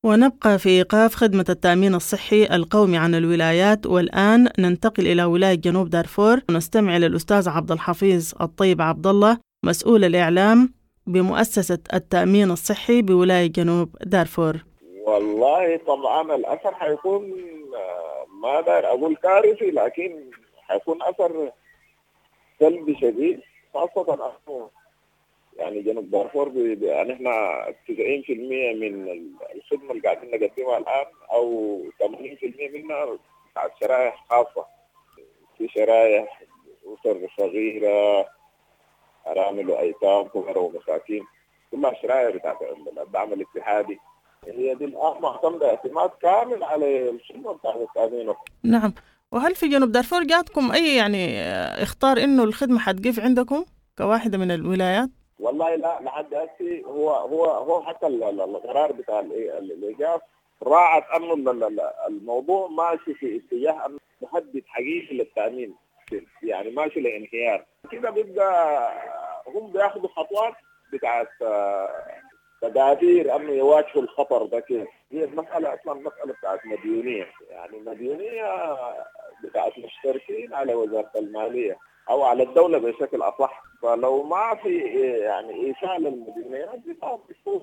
Speaker 15: ونبقى في إيقاف خدمة التأمين الصحي القومي عن الولايات، والآن ننتقل إلى ولاية جنوب دارفور ونستمع للأستاذ عبد الحفيظ الطيب عبد الله، مسؤول الإعلام بمؤسسة التأمين الصحي بولاية جنوب دارفور.
Speaker 22: والله طبعا الأثر حيكون ما دار أقول كارثي، لكن حيكون أثر سلبي شديد، خاصة أنه يعني جنوب دارفور يعني احنا 90% من الخدمة اللي قاعدين نقدمها الآن أو 80% منها بتاعت شرائح خاصة، في شرائح أسر صغيرة، أرامل وأيتام، فقراء ومساكين، كلها شرائح بتاعت الدعم الاتحادي. هي دي الآن معتمدة اعتماد كامل على الخدمة بتاعت التأمين.
Speaker 15: نعم، وهل في جنوب دارفور جاتكم أي يعني اخطار إنه الخدمة حتقف عندكم كواحدة من الولايات؟
Speaker 22: والله لا، لحد هسي هو حتى القرار بتاع الايقاف راعت انه الموضوع ماشي في اتجاه انه مهدد حقيقي للتامين، يعني ماشي لانهيار كده. بيبقى هم بياخذوا خطوات بتاعت تدابير انه يواجهوا الخطر ده كيف. هي المسالة اصلا مسالة بتاعت مديونية، يعني مديونية بتاعت مشتركين على وزارة المالية او على الدولة بشكل اصح. فلو ما في يعني ايفاء للمديونيات دي طبعا بتكون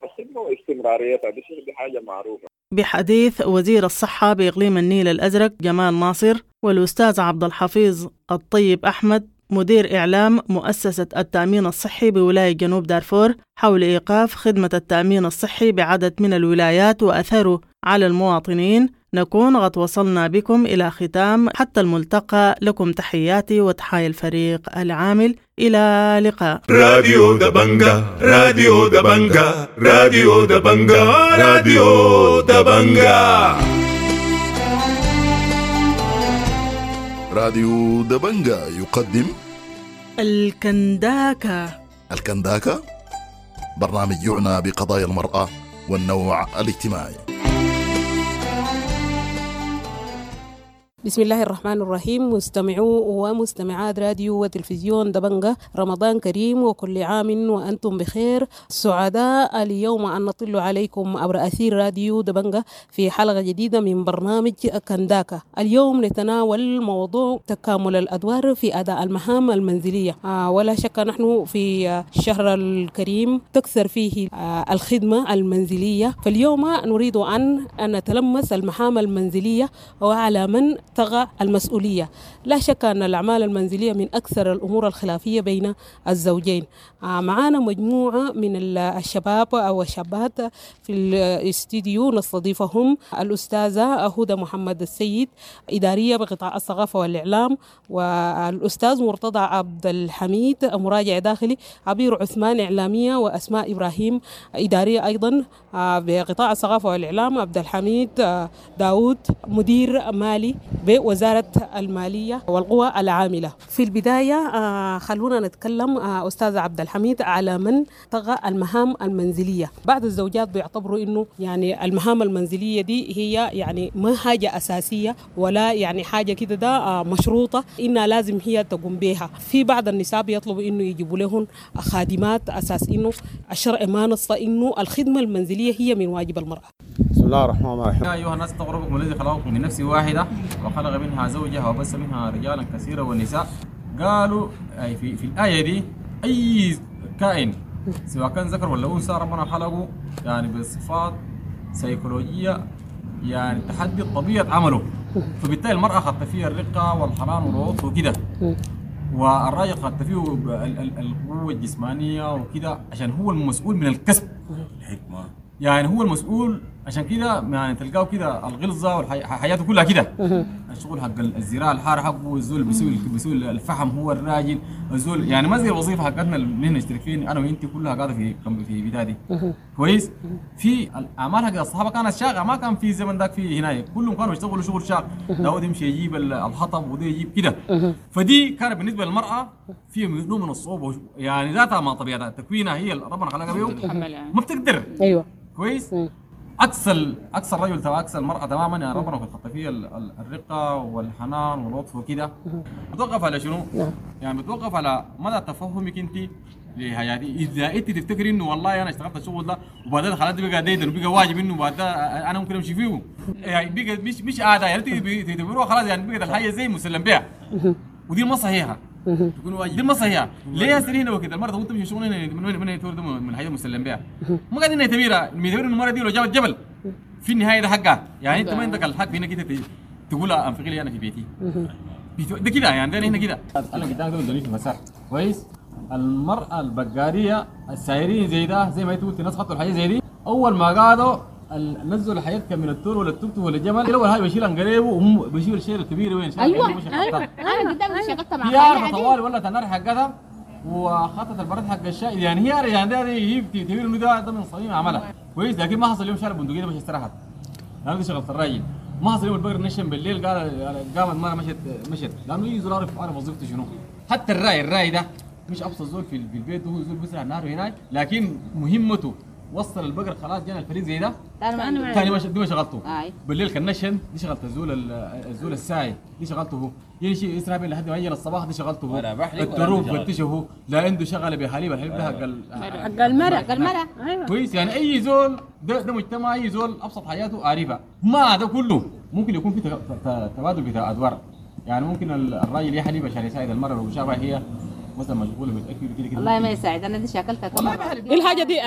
Speaker 22: الخدمة واستمراريتها، دي حاجة معروفة.
Speaker 15: بحديث وزير الصحة بإقليم النيل الأزرق جمال ناصر والأستاذ عبد الحفيظ الطيب أحمد مدير إعلام مؤسسة التأمين الصحي بولاية جنوب دارفور حول إيقاف خدمة التأمين الصحي بعدد من الولايات وأثره على المواطنين، نكون قد وصلنا بكم إلى ختام حتى الملتقى. لكم تحياتي وتحايا الفريق العامل، إلى لقاء.
Speaker 1: راديو دبنجا، راديو دبنجا، راديو دبنجا، راديو دبنجا.
Speaker 3: راديو دبنجا يقدم
Speaker 15: الكنداكا.
Speaker 3: الكنداكا برنامج يعنى بقضايا المرأة والنوع الاجتماعي.
Speaker 23: بسم الله الرحمن الرحيم. مستمعو ومستمعات راديو وتلفزيون دبنجة، رمضان كريم وكل عام وأنتم بخير. سعداء اليوم أن نطل عليكم عبر أثير راديو دبنجة في حلقة جديدة من برنامج كنداكا. اليوم نتناول موضوع تكامل الأدوار في أداء المهام المنزلية. ولا شك نحن في الشهر الكريم تكثر فيه الخدمة المنزلية، فاليوم نريد أن نتلمس المهام المنزلية وعلى من تقع المسؤولية. لا شك أن الأعمال المنزلية من أكثر الأمور الخلافية بين الزوجين. معانا مجموعة من الشباب أو الشابات في الاستديو نستضيفهم: الأستاذة هدى محمد السيد، إدارية بقطاع الثقافة والإعلام، والأستاذ مرتضى عبد الحميد، مراجع داخلي، عبير عثمان، إعلامية، وأسماء إبراهيم، إدارية أيضا بقطاع الثقافة والإعلام، عبد الحميد داود، مدير مالي بوزارة المالية والقوى العاملة. في البداية خلونا نتكلم أستاذ عبد الحميد على من طغى المهام المنزلية. بعض الزوجات بيعتبروا إنه يعني المهام المنزلية دي هي يعني ما حاجة أساسية ولا يعني حاجة كده ده مشروطة إنها لازم هي تقوم بها. في بعض النساء بيطلبوا إنه يجيبوا لهم خادمات أساس إنه الشرع ما نص إنه الخدمة المنزلية هي من واجب المرأة.
Speaker 24: بسم الله الرحمن الرحيم.
Speaker 25: يا أيها الناس اتقوا ربكم الذي خلقكم من نفس واحدة وخلق منها زوجها وبث منها رجالا كثيرا ونساء. قالوا أي في الآية دي أي كائن سواء كان ذكر ولا أنثى ربنا خلقه يعني بصفات سيكولوجية يعني تحدد طبيعة عمله، فبالتالي المرأة خدت فيها الرقة والحنان واللطف وكده، والراجل خدت فيه القوة الجسمانية وكده عشان هو المسؤول من الكسب
Speaker 1: الحكمة،
Speaker 25: يعني هو المسؤول. عشان كده يعني تلقاه كده الغلظه وحياته كلها كده، الشغل حق الزراعة الحار حقه، الزول بيسوي الفحم هو الراجل، الزول يعني ما زي الوظيفة حقتنا اللي نشترك فيه انا وانت كلها قاعدة في بتاع كويس. في الاعمال حق الصحابة كانت شاقه، ما كان في زمن ذاك في هناك كلهم كانوا يشتغلوا شغل شاق، داود يمشي يجيب الحطب وده يجيب كده. فدي كانت بالنسبة للمراة في نوع من الصعوبة، يعني ذاتها ما طبيعتها تكوينها هي ربنا خلقها بيه ما بتقدر.
Speaker 23: ايوه
Speaker 25: كويس. عكس الرجل عكس المرأة تماما، يعني ربنا خلق فيها الرقة والحنان واللطف وكده. بتوقف على شنو؟ يعني بتوقف على مدى تفهمك انت لحياتي. اذا انت تفتكري انه والله انا اشتغلت الشغل ده وبعدين خلاص بقى ديدن وبقى واجب انه بعد انا ممكن امشي فيه، يعني بقى مش عادة، يعني تعتبروها خلاص يعني بقت الحاجة زي مسلم بها، ودي ما صحيحه. تكون واجب دي ما صحيحه. ليه هسه هنا وكده المرة تقول تمشي شغل هنا من من الحاجة المسلم بها، ما قاعدين نعتبرها نعتبر انه المرة دي لو جابت جبل في النهاية ده حقها، يعني انت ما عندك الحق في انك انت تقول انفقي لي انا في بيتي ده كده، يعني ده هنا كده انا قدامك ده في مسار كويس. المراة البقاريه السايرين زي ده زي ما انت قلت الناس خطوا الحاجة زي دي، اول ما قعدوا نزلوا الحياة كان من التور ولا التوت ولا الجمل، اول حاجة بيشيل انقريبه وهم بيشيل الشيل الكبير وين
Speaker 26: ايوه انا قدام شغلت مع
Speaker 25: هي عارفه طوال ولا النار حقتها وخطت البرد حق الشاي، يعني هي يعني ده هي بتعتبر انه ده من صميم عملها كويس. لكن ما حصل يوم شال البندقية مش استراحت، لانه دي شغله الراجل. ما حصل يوم البقر نشن بالليل قال قامت مرة مشت لانه اي زول عارف وظيفته شنو. حتى الراي ده مش ابسط زول في البيت، هو زول بيسرع النهار هناك، لكن مهمته وصل البقر خلاص جانا الفريق زي ده ثاني ما دي ما شغلته. بالليل كان نشن دي شغلت الزول الساعي دي شغلته هو، يمشي يسرع بين لحد ما يجي الصباح دي شغلته هو. التروب فتشه هو، لا عنده شغله بحليب، الحليب ده حق
Speaker 26: المرأة، حق المرأة. ايوه
Speaker 25: كويس. يعني اي زول ده مجتمع، اي زول ابسط حياته عارفها. ما ده كله ممكن يكون في تبادل بتاع ادوار، يعني ممكن الراجل يحلب عشان يساعد المرأة لو شافها هي مثلا مشغولة بتاكل كده كده.
Speaker 26: والله ما يساعد. انا دي شاكلتها كمان.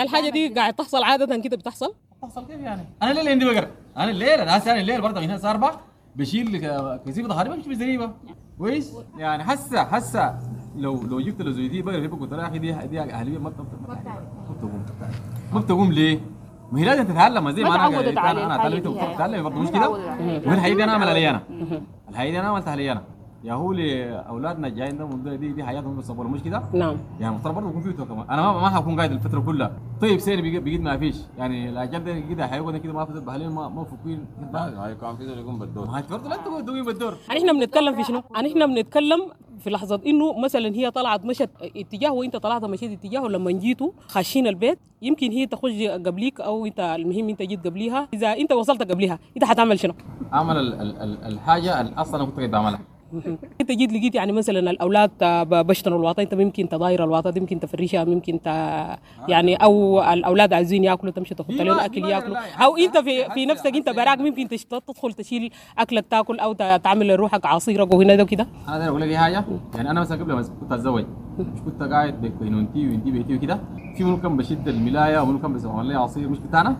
Speaker 23: الحاجة دي قاعد تحصل عادة كده، بتحصل
Speaker 25: كيف يعني؟ انا الليل عندي بقر، انا الليل انا هسه، انا الليل برضه من هنا الساعة 4 بشيل كثيفة ظهري بمشي بزريبه كويس. يعني هسه لو جبت له زي دي بقر في قلت له يا اخي دي اهليه ما بتقوم ليه؟ ما هي لازم تتعلم زي ما انا اتعلمت وبتتعلم برضه، مش كده؟ والحقيقة دي انا اعمل علي انا، الحقيقة دي انا عملتها علي انا، يا هو لاولادنا الجايين ده دي حياتهم بيصبروا، مش كده؟
Speaker 23: نعم.
Speaker 25: يعني المفترض برضه يكون فيه كمان، انا ما حكون قاعد الفترة كلها. طيب سير بقيت ما فيش يعني الاجيال ده كده حيقعد كده ما في بحالين ما فكين.
Speaker 4: لا كان في زول يقوم بالدور،
Speaker 25: ما برضه لا تقوم بالدور.
Speaker 23: احنا بنتكلم في شنو؟ احنا بنتكلم في لحظة انه مثلا هي طلعت مشت اتجاه وانت طلعت مشيت اتجاه، ولما جيتوا خاشين البيت يمكن هي تخش قبليك او انت، المهم انت جيت قبليها، اذا انت وصلت قبليها انت حتعمل شنو؟
Speaker 25: اعمل الحاجة اللي اصلا كنت قاعد بعملها.
Speaker 23: انت جيت لقيت يعني مثلا الاولاد بشتنوا الواطه، انت ممكن تضاير الواطه دي، ممكن تفرشها، ممكن يعني او الاولاد عايزين ياكلوا تمشي تحط لهم اكل ياكلوا، او انت في نفسك انت براك ممكن تدخل تشيل اكلك تاكل او تعمل لروحك عصيرك وهنا ده وكده.
Speaker 25: انا اقول لك حاجة، يعني انا مثلا قبل ما كنت اتزوج مش كنت قاعد بكوينونتي وانتي بيتي وكده، في منو كان بشد الملايه ومنو كان بيسوي لي عصير مش بتاعنا.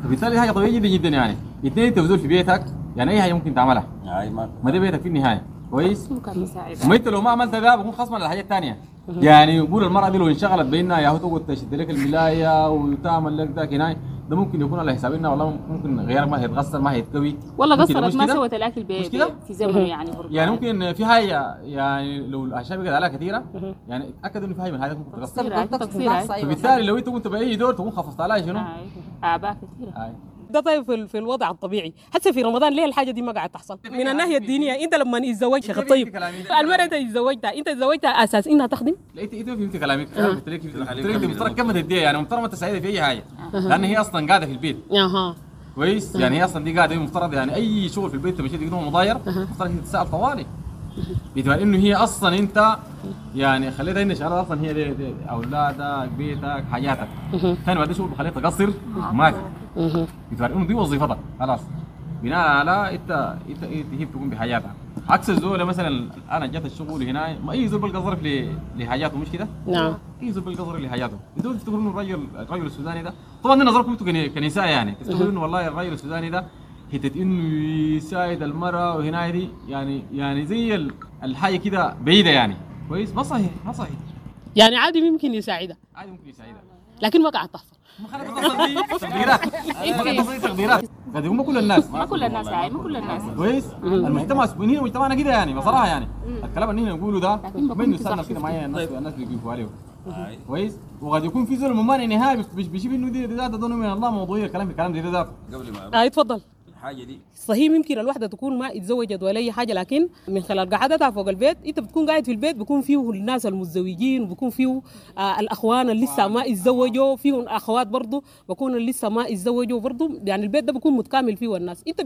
Speaker 25: فبالتالي حاجة طبيعية جدا جدا يعني. اثنين انت بزول في بيتك، يعني اي حاجة ممكن تعملها، ما ده بيتك في النهاية كويس. ما انت لو ما عملت ده بكون خصما على الحاجات الثانية. يعني يقول المراة دي لو انشغلت بانها يا هو تقعد تشد لك الملايه وتعمل لك ذاك هناك، ده ممكن يكون على حساب انها والله ممكن غيرك ما هيتغسل ما هيتكوي
Speaker 26: والله قصرت ما سوت الاكل في زمنه يعني برضه.
Speaker 25: يعني ممكن في حاجة يعني لو الاعشاب بقت عليها كثيرة يعني اتاكد انه في حاجة من الحاجات ممكن تقصر. فبالتالي لو انت كنت باي دور تكون خففت عليها شنو؟
Speaker 26: اعباء كثيرة.
Speaker 23: ده طيب في الوضع الطبيعي. حتى في رمضان ليه الحاجة دي ما قاعد تحصل؟ من الناحية الدينية انت لما تتزوج شيخ الطيب المرأة انت تزوجتها، انت تزوجتها اساس انها تخدم؟
Speaker 25: لا انت فهمت كلامك. قلت لك المفترض كم تديها، يعني المفترض ما تساعدها في اي حاجة لان هي اصلا قاعدة في البيت. كويس. يعني هي اصلا دي قاعدة المفترض يعني اي شغل في البيت مشيت تقدمه مضاير المفترض هي تتسال طوالي، باعتبار انه هي اصلا انت يعني خليتها ان شغالة اصلا هي دي اولادك بيتك حياتك. ثاني بعد شغل بخليها تقصر ما في، باعتبار انه دي وظيفتك خلاص بناء على انت هي بتقوم بحياتها. عكس الزول مثلا انا جات الشغل هنا ما اي زول بلقى ظرف لحاجاته، مش كده؟
Speaker 23: نعم.
Speaker 25: اي زول بلقى ظرف لحاجاته. انتوا تفتكروا انه الرجل السوداني ده، طبعا نظركم انتوا كنساء يعني تفتكروا انه والله الرجل السوداني ده حتة انه يساعد المراة وهنا دي يعني زي الحاجة كده بعيدة يعني كويس. ما صحيح ما صحيح.
Speaker 23: يعني عادي ممكن يساعدها،
Speaker 25: عادي ممكن يساعدها،
Speaker 23: لكن ما قاعد تحصل.
Speaker 25: ما تقديرات تقديرات قد يكون ما كل الناس،
Speaker 26: ما كل الناس، ما كل الناس
Speaker 25: كويس. المجتمع هنا مجتمعنا كده يعني بصراحة يعني الكلام اللي نقوله ده ما انه كده معايا الناس بيقفوا عليه كويس. وقد يكون في زول ممانع نهائي بيشوف انه دي ذات ده من الله موضوعية الكلام دي ذات.
Speaker 4: قبل ما
Speaker 23: اتفضل.
Speaker 4: الحاجة دي
Speaker 23: صحيح ممكن الوحدة تكون ما اتزوجت ولا اي حاجة، لكن من خلال قعدتها فوق البيت انت بتكون قاعد في البيت بيكون فيه الناس المتزوجين وبيكون فيه الاخوان اللي لسه ما اتزوجوا، فيه اخوات برضه بيكونوا لسه ما اتزوجوا برضه، يعني البيت ده بيكون متكامل فيه الناس. انت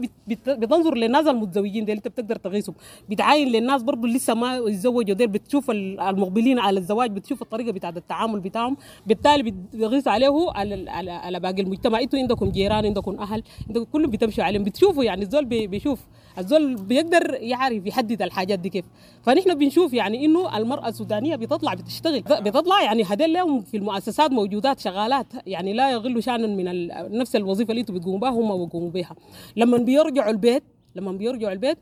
Speaker 23: بتنظر للناس المتزوجين ديل انت بتقدر تغيسهم، بتعاين للناس برضه اللي لسه ما اتزوجوا ديل، بتشوف المقبلين على الزواج، بتشوف الطريقة بتاعت التعامل بتاعهم، بالتالي بتغيس عليه على باقي المجتمع. انتوا عندكم جيران، عندكم اهل، عندكم كلهم بتمشوا عليهم، بتشوفوا يعني الزول بيشوف، الزول بيقدر يعرف يحدد الحاجات دي كيف. فنحن بنشوف يعني انه المرأة السودانية بتطلع بتشتغل، بتطلع يعني هدول لهم في المؤسسات موجودات شغالات، يعني لا يغلوا شأنا من نفس الوظيفة اللي انتم بتقوموا بها هم بيقوموا بها. لما بيرجعوا البيت،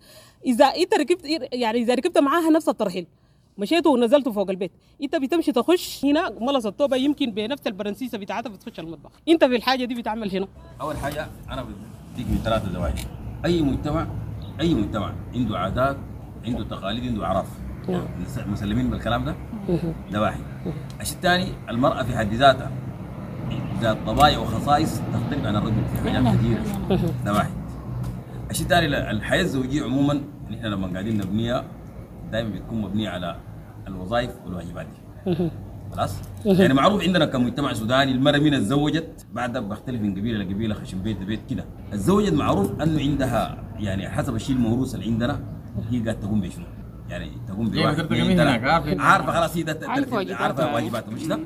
Speaker 23: اذا انت ركبت يعني اذا ركبت معاها نفس الترحيل مشيتوا ونزلتوا فوق البيت، انت بتمشي تخش هنا ملص التوبة يمكن بنفس البرنسيسه بتاعتها بتخش المطبخ، انت في الحاجة دي بتعمل هنا.
Speaker 4: اول حاجة انا بديك من ثلاثة زوايا. اي مجتمع عنده عادات، عنده تقاليد، عنده اعراف. نعم. مسلمين بالكلام ده؟ ده واحد. الشيء الثاني المراة في حد ذاتها ذات طبائع وخصائص تختلف عن الرجل في حاجات كثيرة. ده واحد. الشيء الثاني، الحياة الزوجية عموما نحن لما قاعدين نبنيها دائما بتكون مبنية على الوظائف والواجبات دي. خلاص؟ يعني معروف عندنا كمجتمع سوداني المرأة من اتزوجت بعدها بختلف من قبيلة لقبيله، خشم بيت لبيت كده. اتزوجت معروف انه عندها يعني حسب الشيء الموروث اللي عندنا هي قاعدة تقوم بشنو؟ يعني تقوم بواحد اثنين ثلاثة، عارفه خلاص هي عارفه واجباتها مش ده؟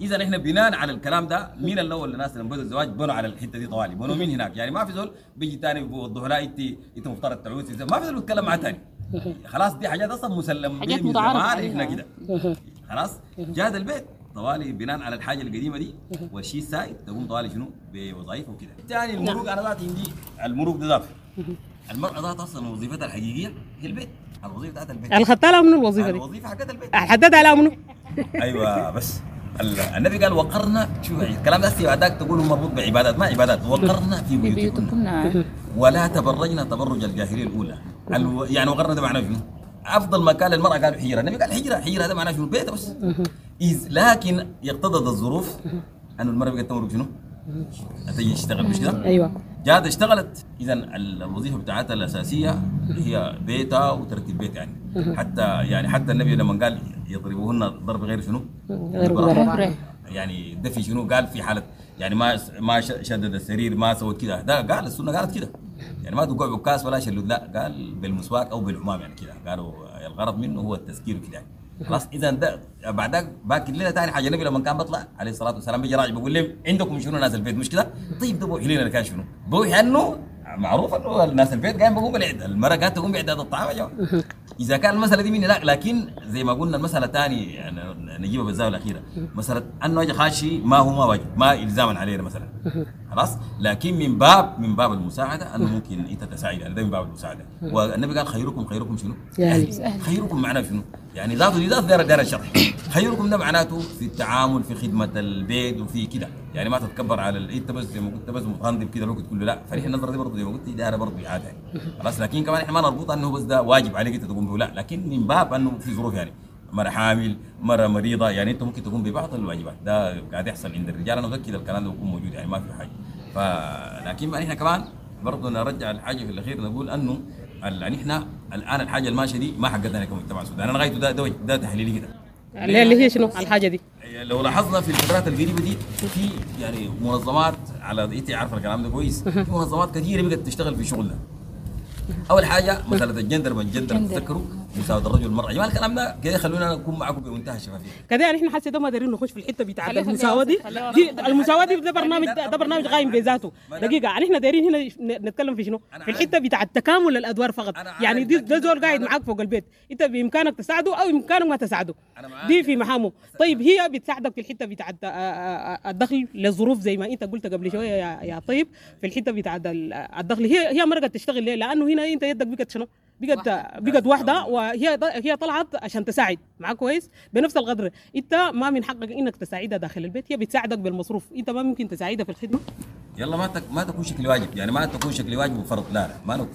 Speaker 4: اذا احنا بناء على الكلام ده مين الاول الناس اللي بدوا الزواج بنوا على الحتة دي طوالي، بنوا من هناك. يعني ما في زول بيجي ثاني بيوضحوا لا انت مفترض تعوزي، ما في زول بيتكلم مع ثاني. خلاص دي حاجات اصلا مسلم
Speaker 26: حاجات
Speaker 4: من
Speaker 26: متعارف
Speaker 4: زمان
Speaker 26: عليها.
Speaker 4: احنا كده. خلاص جاد البيت طوالي بناء على الحاجة القديمة دي والشيء السائد تقوم طوالي شنو بوظائفه وكده. ثاني المروق، انا ذاتي عندي المروق ده ذاته، المراة ذات اصلا وظيفتها الحقيقية هي البيت، الوظيفة بتاعت البيت.
Speaker 23: الخدتها لها منو الوظيفة دي؟
Speaker 4: الوظيفة حقت البيت
Speaker 23: حددها لها منو؟
Speaker 4: ايوه بس النبي قال وقرنا، شوف الكلام ده بعدك تقول مربوط بعبادات، ما عبادات، وقرنا في بيوتكن ولا تبرجنا تبرج الجاهلية الاولى. يعني وقرنا ده معناه شنو؟ افضل مكان للمراة قالوا حجره، النبي قال حجره، حجره ده معناه شنو؟ بيت بس. لكن اقتضت الظروف انه المراة بقت تمرق شنو؟ تيجي تشتغل مش كده؟
Speaker 23: ايوه
Speaker 4: جات اشتغلت. اذا الوظيفة بتاعتها الاساسية هي بيتها وترتيب بيت يعني. حتى يعني حتى النبي لما قال يضربوهن ضرب غير شنو؟
Speaker 23: غير مبرح.
Speaker 4: يعني ده في شنو؟ قال في حاله يعني ما شدد السرير، ما سوت كده، ده قال السنة قالت كده. يعني ما تقع بكاس ولا شلود، لا قال بالمسواك او بالعمام يعني كده، قالوا الغرض منه هو التذكير كده يعني. خلاص اذا ده بعدك باكر لنا ثاني حاجة، النبي لما كان بيطلع عليه الصلاة والسلام بيجي راجع بيقول لهم عندكم شنو ناس البيت مش كده؟ طيب ده بوحي لنا كان شنو؟ بوحي انه معروف انه الناس البيت قايم بيقوم بالعدة، المراة قاعدة تقوم باعداد الطعام يا جماعة. اذا كان المسالة دي مني لا، لكن زي ما قلنا المسالة ثاني يعني نجيبها بالزاوية الاخيرة، مسالة انه اجي خاشي ما هو ما واجب، ما الزاما علينا مثلا. خلاص لكن من باب المساعدة انه ممكن انت تساعد، يعني ده من باب المساعدة. والنبي قال خيركم خيركم شنو؟ خيركم معناه شنو؟ يعني ذاته دي ذات دار الشرح. خيركم ده معناته في التعامل، في خدمة البيت وفي كده، يعني ما تتكبر على انت بس زي ما قلت بس متغنضب كده الوقت كله، لا. فنحن النظرة دي برضه زي ما قلت دايرة برضه اعاده يعني. خلاص لكن كمان احنا ما نربطها انه بس ده واجب عليك انت تقوم به، لا، لكن من باب انه في ظروف يعني مرة حامل، مرة مريضه، يعني انت ممكن تقوم ببعض الواجبات. ده قاعد يحصل عند الرجال، انا متاكد الكلام ده بيكون موجود يعني ما في حاجة. فلكن ما احنا كمان برضه نرجع الحاجة في الاخير نقول انه نحن الان الحاجة الماشية دي ما حقتنا كمجتمع سوداني. انا غايته ده تحليلي كده
Speaker 23: اللي هي شنو الحاجة دي؟
Speaker 4: لو لاحظنا في الفترات القريبة دي في يعني منظمات، على انت عارفه الكلام ده كويس، في منظمات كثيرة بقت تشتغل في شغلنا. اول حاجة مسالة الجندر، ما الجندر تتذكروا مساواة الرجل والمراة. يا جماعة الكلام ده كده خلونا نكون معكم بمنتهى الشفافية.
Speaker 23: كده نحن حاسه ده ما دارين نخش في الحتة بتاعت المساواة دي. المساواة دي ده برنامج، ده برنامج قايم بذاته. دقيقة نحن دايرين هنا نتكلم في شنو؟ في الحتة بتاعت تكامل الادوار فقط. يعني ده زول قاعد معاك فوق البيت، انت بامكانك تساعده او بامكانك ما تساعده، دي في مهامه. طيب هي بتساعدك في الحتة بتاعت الدخل للظروف زي ما انت قلت قبل شوية يا طيب، في الحتة بتاعت الدخل هي مرقت تشتغل ليه؟ لانه هنا انت يدك بقت شنو؟ بقت واحدة، وهي هي طلعت عشان تساعد معاك كويس بنفس القدر. انت ما من حقك انك تساعدها داخل البيت، هي بتساعدك بالمصروف، انت ما ممكن تساعدها في الخدمة.
Speaker 4: يلا ما تكون شكل واجب، يعني ما تكون شكل واجب وفرض، لا لا ما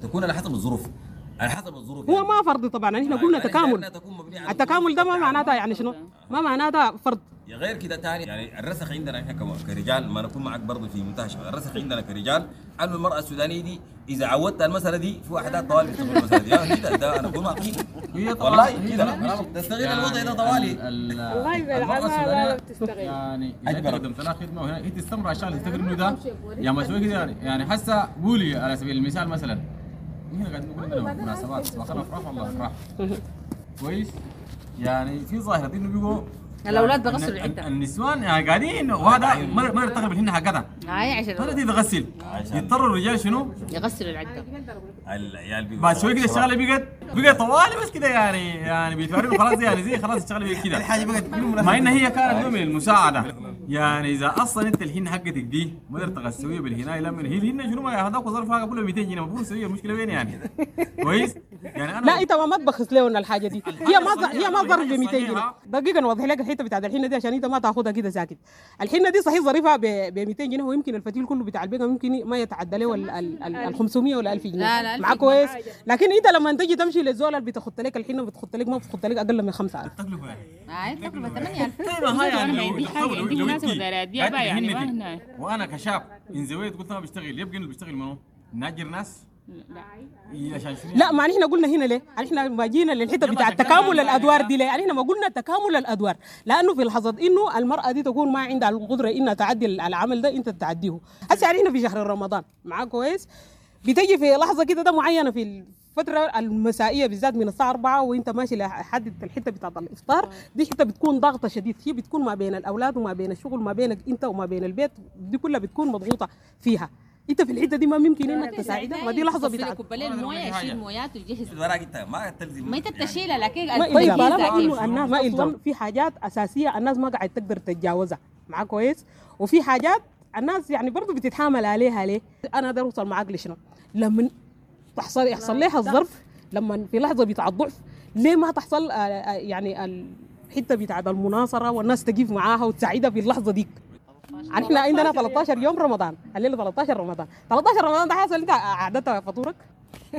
Speaker 4: تكون على حسب الظروف، على حسب الظروف.
Speaker 23: هو يعني ما فرض طبعا، احنا قلنا تكامل. التكامل ده ما معناته يعني شنو؟ ما معناته فرض.
Speaker 4: غير كده ثاني يعني الرسخ عندنا احنا كرجال، ما نكون معك برضه في منتهى الشباب، الرسخ عندنا كرجال انه المراة السودانية دي اذا عودت المسالة دي في واحدات طوالي بتستغل المسالة دي كده، ده انا اكون معك والله كده تستغل الوضع ده طوالي.
Speaker 26: والله بالعمل بتستغل
Speaker 25: يعني اذا قدمت لها خدمة وهنا هي تستمر عشان تفتكر انه ده يا مسوي كده يعني. حاسه قولي على سبيل المثال مثلا نحن قاعدين نقول عندنا مناسبات سواء افراح ولا افراح كويس، يعني في ظاهره انه بيقوا
Speaker 26: الاولاد بغسلوا العدة،
Speaker 25: النسوان يعني قاعدين وهذا ما تغلب الهن حقتها
Speaker 26: عشان
Speaker 25: ما تقدر تغسل، يضطروا الرجال شنو؟
Speaker 26: يغسلوا العدة.
Speaker 4: العيال بيقوا
Speaker 25: بعد شوي كده الشغلة بقت طوالي بس كده يعني بيتوروا خلاص يعني زي خلاص الشغلة بقت كده
Speaker 4: الحاجة بقت
Speaker 25: مع ان هي كانت نوع من المساعدة. يعني اذا اصلا انت الهن حقتك دي ما قدرت تغسليها بالهنايه، لما هي الهن شنو ما هذاك ظرفها كله 200 جنيه المفروض تسويها، المشكلة وين يعني؟ كويس؟ يعني انا
Speaker 23: لا انت ما تبخس لهم الحاجة دي، هي ما ظرف ب 200 جنيه. دقيقة نوضح لك الحتة بتاعت الحنة دي عشان انت ما تاخذها كده ساكت. الحنة دي صحيح ظريفة ب 200 جنيه، ويمكن الفتيل كله بتاع البيت ممكن ما يتعدى له ال 500 ولا 1000 جنيه.
Speaker 26: لا لا
Speaker 23: معاك كويس. لكن انت لما تجي تمشي للزول اللي بتخط لك الحنة بتخط لك ما بتخط لك اقل من 5000.
Speaker 25: التكلفة
Speaker 26: يعني التكلفة 8000.
Speaker 25: طيب هاي يعني
Speaker 26: عندي مناسبة دايرة ابيع يعني ما هنا.
Speaker 25: وانا كشاب انزويت قلت انا بشتغل، يبقى انه بيشتغل منو؟ ناجر ناس؟
Speaker 26: لا.
Speaker 25: عشان شنو؟
Speaker 23: لا، ما نحن قلنا هنا ليه؟ نحن ما جينا للحتة بتاع تكامل الادوار دي ليه؟ نحن ما قلنا تكامل الادوار، لانه في لحظة انه المراة دي تكون ما عندها القدرة انها تعدي العمل ده، انت تعديه. هسه نحن في شهر رمضان معاك كويس، بتجي في لحظة كده ده معينة في الفترة المسائيه بالذات من الساعة 4 وانت ماشي لحد الحتة بتاعت الافطار دي، حتة بتكون ضغطه شديد، هي بتكون ما بين الاولاد وما بين الشغل وما بينك انت وما بين البيت، دي كلها بتكون مضغوطه فيها. انت في الحتة دي ما ممكن انك تساعدها، ما دي لحظة بتاعت
Speaker 26: كوباية المويه، يشيل مويات ويجهز
Speaker 4: وراك انت ما تلزم
Speaker 26: ما انت بتشيلها، لكن
Speaker 23: طيب طالما انه الناس ما الزم في حاجات اساسية الناس ما قاعد تقدر تتجاوزها معاك كويس، وفي حاجات الناس يعني برضه بتتحامل عليها. ليه؟ انا اقدر اوصل معاك لشنو؟ لما تحصل يحصل لها الظرف، لما في لحظة بتاع الضعف، ليه ما تحصل يعني الحتة بتاع المناصره والناس تقف معاها وتساعدها في اللحظة ديك؟ احنا عندنا 13 يوم رمضان، الليلة 13 رمضان، 13 رمضان ده حصل انت عادتها فطورك؟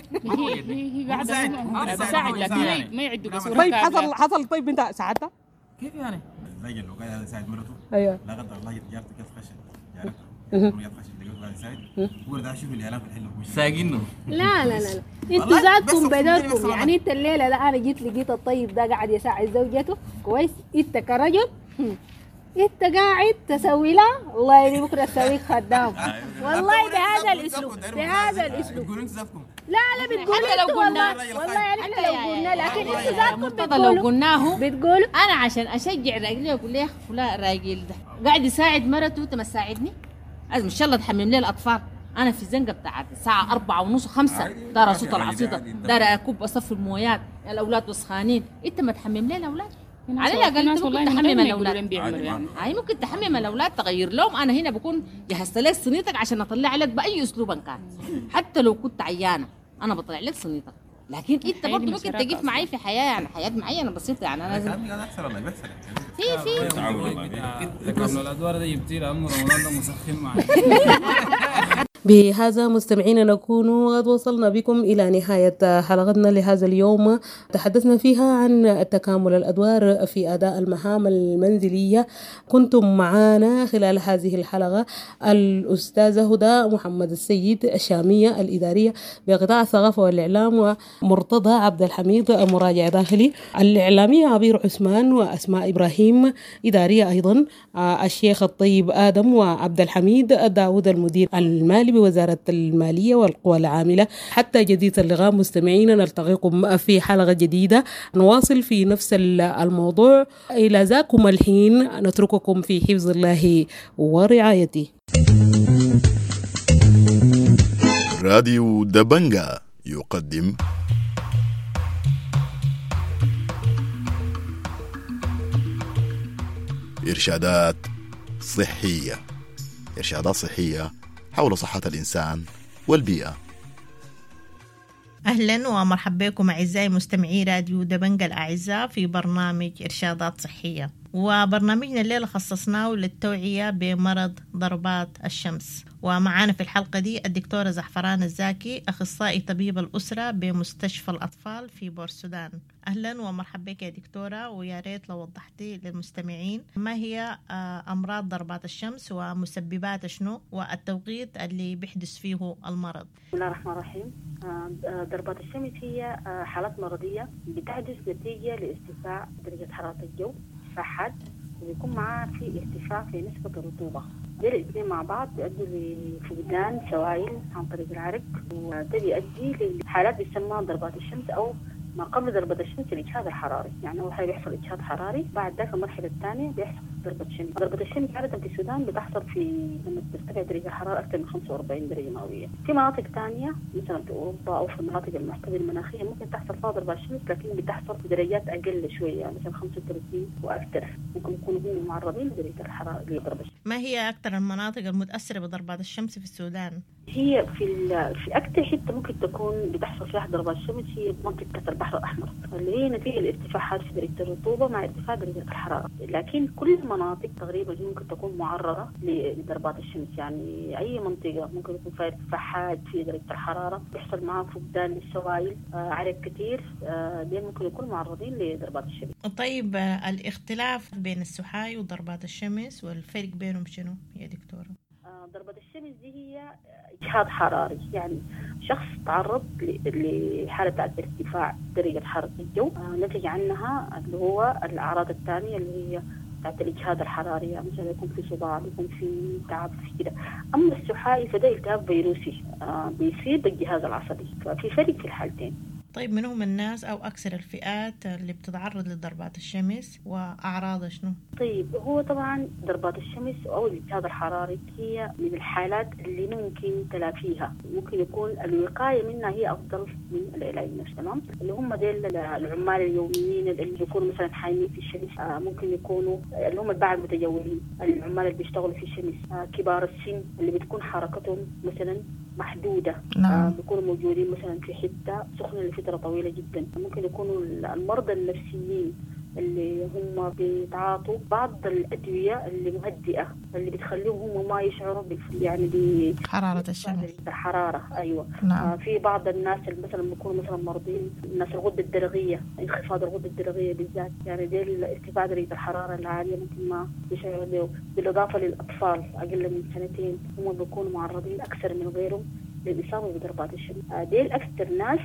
Speaker 26: هي قاعدة تساعد، لكن ما يعدوا بصورة.
Speaker 23: طيب حصل طيب انت ساعدتها؟
Speaker 25: كيف يعني؟ الراجل لو قاعد يساعد مرته،
Speaker 23: ايوه،
Speaker 25: لا قدر الله جارته كيف خشت جارته خشت لقيته قاعد يساعد، هو ده شوف الاعلام في الحلة ساقينه.
Speaker 5: لا لا لا لا، انتوا ذاتكم بدركم يعني. انت الليلة لا، انا جيت لقيت الطيب ده قاعد يساعد زوجته كويس، انت كرجل انت قاعد تسوي لها والله اللي بكره تسويك خدام والله بهذا الاسلوب، بهذا الاسلوب. لا لا بتقولوا
Speaker 26: حتى لو قلنا
Speaker 5: والله يعني احنا لو قلنا، لكن انتوا ذاتكم
Speaker 26: بتقولوا لو قلناه
Speaker 5: بتقولوا.
Speaker 26: انا عشان اشجع راجلي اقول له يا اخي فلان راجل ده قاعد يساعد مرته، انت ما تساعدني؟ لازم ان شاء الله تحمم لي الاطفال. انا في الزنقة بتاعت الساعة 4:30 5 دار صوت العصيده، دار اكب اصفي المويات، الاولاد وسخانين، انت ما تحمم لي الاولاد؟ على الاقل انت ممكن تحمم الاولاد يعني. هاي ممكن تحمم الاولاد، تغير لهم. انا هنا بكون جهزت لك صينيتك عشان اطلع لك باي اسلوب كان، حتى لو كنت عيانه انا بطلع لك صينيتك، لكن انت برضه ممكن تقف معي في حياة، يعني حياة معينة بسيطة يعني. انا لازم في
Speaker 6: تكامل الادوار ده جبتي لانه رمضان ده مسخن معي.
Speaker 23: بهذا مستمعينا نكون قد وصلنا بكم إلى نهاية حلقتنا لهذا اليوم، تحدثنا فيها عن تكامل الأدوار في أداء المهام المنزلية. كنتم معنا خلال هذه الحلقة الأستاذة هدى محمد السيد الشامية الإدارية بقطاع الثقافة والإعلام، ومرتضى عبد الحميد مراجع داخلي، الإعلامية عبير عثمان وأسماء إبراهيم إدارية أيضا، الشيخ الطيب آدم وعبد الحميد داود المدير المالي بوزارة المالية والقوى العاملة. حتى جديد اللقاء مستمعينا، نلتقيكم في حلقة جديدة نواصل في نفس الموضوع. إلى ذاكم الحين نترككم في حفظ الله ورعايته.
Speaker 3: راديو دبنجا يقدم إرشادات صحية، إرشادات صحية حول صحة الإنسان والبيئة.
Speaker 7: أهلا ومرحبا بكم أعزائي مستمعي راديو دبنجا الأعزاء في برنامج إرشادات صحية، وبرنامجنا الليلة خصصناه للتوعية بمرض ضربات الشمس. ومعانا في الحلقة دي الدكتورة زعفران الزاكي، أخصائي طبيب الأسرة بمستشفى الأطفال في بورسودان. أهلا ومرحبا بك يا دكتورة، ويا ريت لو وضحتي للمستمعين ما هي أمراض ضربات الشمس ومسببات شنو والتوقيت اللي بيحدث فيه المرض.
Speaker 8: بسم الله الرحمن الرحيم. ضربات الشمس هي حالات مرضية بتحدث نتيجة لارتفاع درجة حرارة الجو حاد، وبيكون معاه في ارتفاع في نسبة الرطوبة. دول الاثنين مع بعض بيؤدوا لفقدان سوائل عن طريق العرق، وده بيؤدي لحالات بيسمى ضربات الشمس أو ما قبل ضربة الشمس الإجهاد الحراري. يعني أول حاجة بيحصل إجهاد حراري، بعد ذاك المرحلة الثانية بيحصل ضربة شمس. ضربة الشمس عادة في السودان بتحصل في لما ترتفع درجة الحرارة أكثر من 45 درجة مئوية. في مناطق ثانية مثلا في أوروبا أو في المناطق المعتدلة المناخية ممكن تحصل فيها ضربة الشمس، لكن بتحصل في درجات أقل شوية، يعني مثلا 35 وأكثر ممكن يكونوا هم معرضين لدرجة الحرارة لضربة الشمس.
Speaker 7: ما هي أكثر المناطق المتأثرة بضربات الشمس في السودان؟
Speaker 8: هي في أكثر حتة ممكن تكون بتحصل فيها ضربات الشمس هي منطقة البحر الأحمر، اللي هي نتيجة لارتفاعات في درجة الرطوبة مع ارتفاع درجة الحرارة. لكن كل المناطق تقريبا ممكن تكون معرضة لضربات الشمس، يعني أي منطقة ممكن يكون فيها ارتفاع حاد في درجة الحرارة بيحصل معها فقدان للسوائل، عرق كثير، دي ممكن يكونوا معرضين لضربات الشمس.
Speaker 7: طيب الاختلاف بين السحاي وضربات الشمس والفرق بينهم شنو يا دكتورة؟
Speaker 8: ضربة الشمس دي هي إجهاد حراري، يعني شخص تعرض لحالة بتاعت ارتفاع درجة حرارة الجو، نتج عنها اللي هو الأعراض الثانية اللي هي بتاعت الإجهاد الحراري، يعني مثلا يكون في صداع، يكون في تعب، في كده. أما السحائي فده التهاب فيروسي بيصيب الجهاز العصبي، ففي فرق في الحالتين.
Speaker 7: طيب من هم الناس أو أكثر الفئات اللي بتتعرض لضربات الشمس وأعراضها شنو؟
Speaker 8: طيب هو طبعا ضربات الشمس أو الإجهاد الحراري هي من الحالات اللي ممكن تلافيها، ممكن يكون الوقاية منها هي أفضل من العلاج نفسه. تمام، اللي هم ديل العمال اليوميين اللي بيكونوا مثلا حايمين في الشمس، ممكن يكونوا اللي هم الباعة المتجولين، العمال اللي بيشتغلوا في الشمس، كبار السن اللي بتكون حركتهم مثلا محدودة.
Speaker 7: نعم.
Speaker 8: بيكونوا موجودين مثلا في حتة سخنة لفترة طويلة جدا. ممكن يكونوا المرضى النفسيين اللي هم بيتعاطوا بعض الأدوية اللي مهدئة اللي بتخليهم هم ما يشعروا يعني
Speaker 7: حرارة الشمس،
Speaker 8: الحرارة. أيوة.
Speaker 7: نعم.
Speaker 8: في بعض الناس اللي مثلا بيكونوا مثلا مرضين، الناس الغدة الدرقية، انخفاض الغدة الدرقية بالذات، يعني دي ارتفاع درجة الحرارة العالية ممكن ما يشعروا به. بالإضافة للأطفال أقل من سنتين هم بيكونوا معرضين أكثر من غيرهم للإصابة بضربات الشمس. ديل أكثر ناس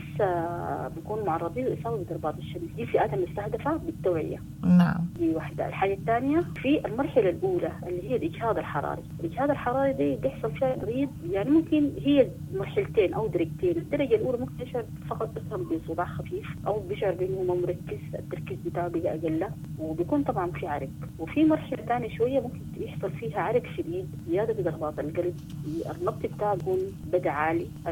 Speaker 8: بيكونوا معرضين للإصابة بضربات الشمس. دي فئات المستهدفة بالتوعية.
Speaker 7: نعم.
Speaker 8: دي واحدة. الحاجة الثانية في المرحلة الأولى اللي هي الإجهاد الحراري. الإجهاد الحراري دي بيحصل فيها مريض، يعني ممكن هي مرحلتين أو درجتين. الدرجة الأولى ممكن يشعر فقط مثلا بصداع خفيف أو بيشعر بأنه ما مركز، التركيز بتاعه بقى أقل، وبيكون طبعا في عرق. وفي مرحلة ثانية شوية ممكن يحصل فيها عرق شديد، زيادة في ضربات القلب، النبض بتاعه بيكون بدأ عالي.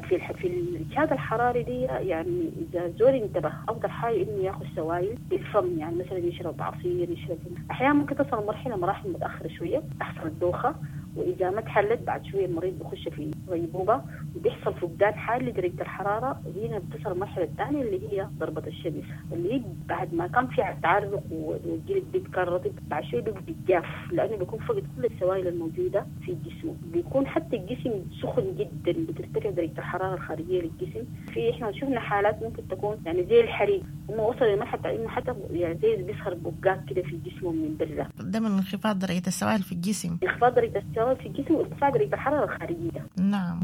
Speaker 8: في الإجهاد الحراري دي يعني إذا زول انتبه أفضل حاجة إنه ياخذ سوائل بالفم، يعني مثلا يشرب عصير، يشرب. أحيانا ممكن تصل مرحلة مراحل متأخرة شوية تحصل الدوخة، وإذا ما تحلت بعد شوية المريض بخش في غيبوبة وبيحصل فقدان حاد لدرجة الحرارة. هنا بتصل المرحلة الثانية اللي هي ضربة الشمس، اللي هي بعد ما كان في تعرق والجلد بيبقى رطب، بعد شوية بيبقى جاف لأنه بيكون فقد كل السوائل الموجودة في جسمه، بيكون حتى الجسم سخن جدا، بترتفع درجة الحرارة الخارجية للجسم. في إحنا شفنا حالات ممكن تكون يعني زي الحريق، هم وصلوا لمرحلة إنه حتى يعني زي بيظهر بقات كده في جسمه من برا.
Speaker 7: ده من انخفاض درجة السوائل في الجسم.
Speaker 8: انخفاض درجة السوائل في الجسم وارتفاع درجة الحرارة الخارجية.
Speaker 7: نعم.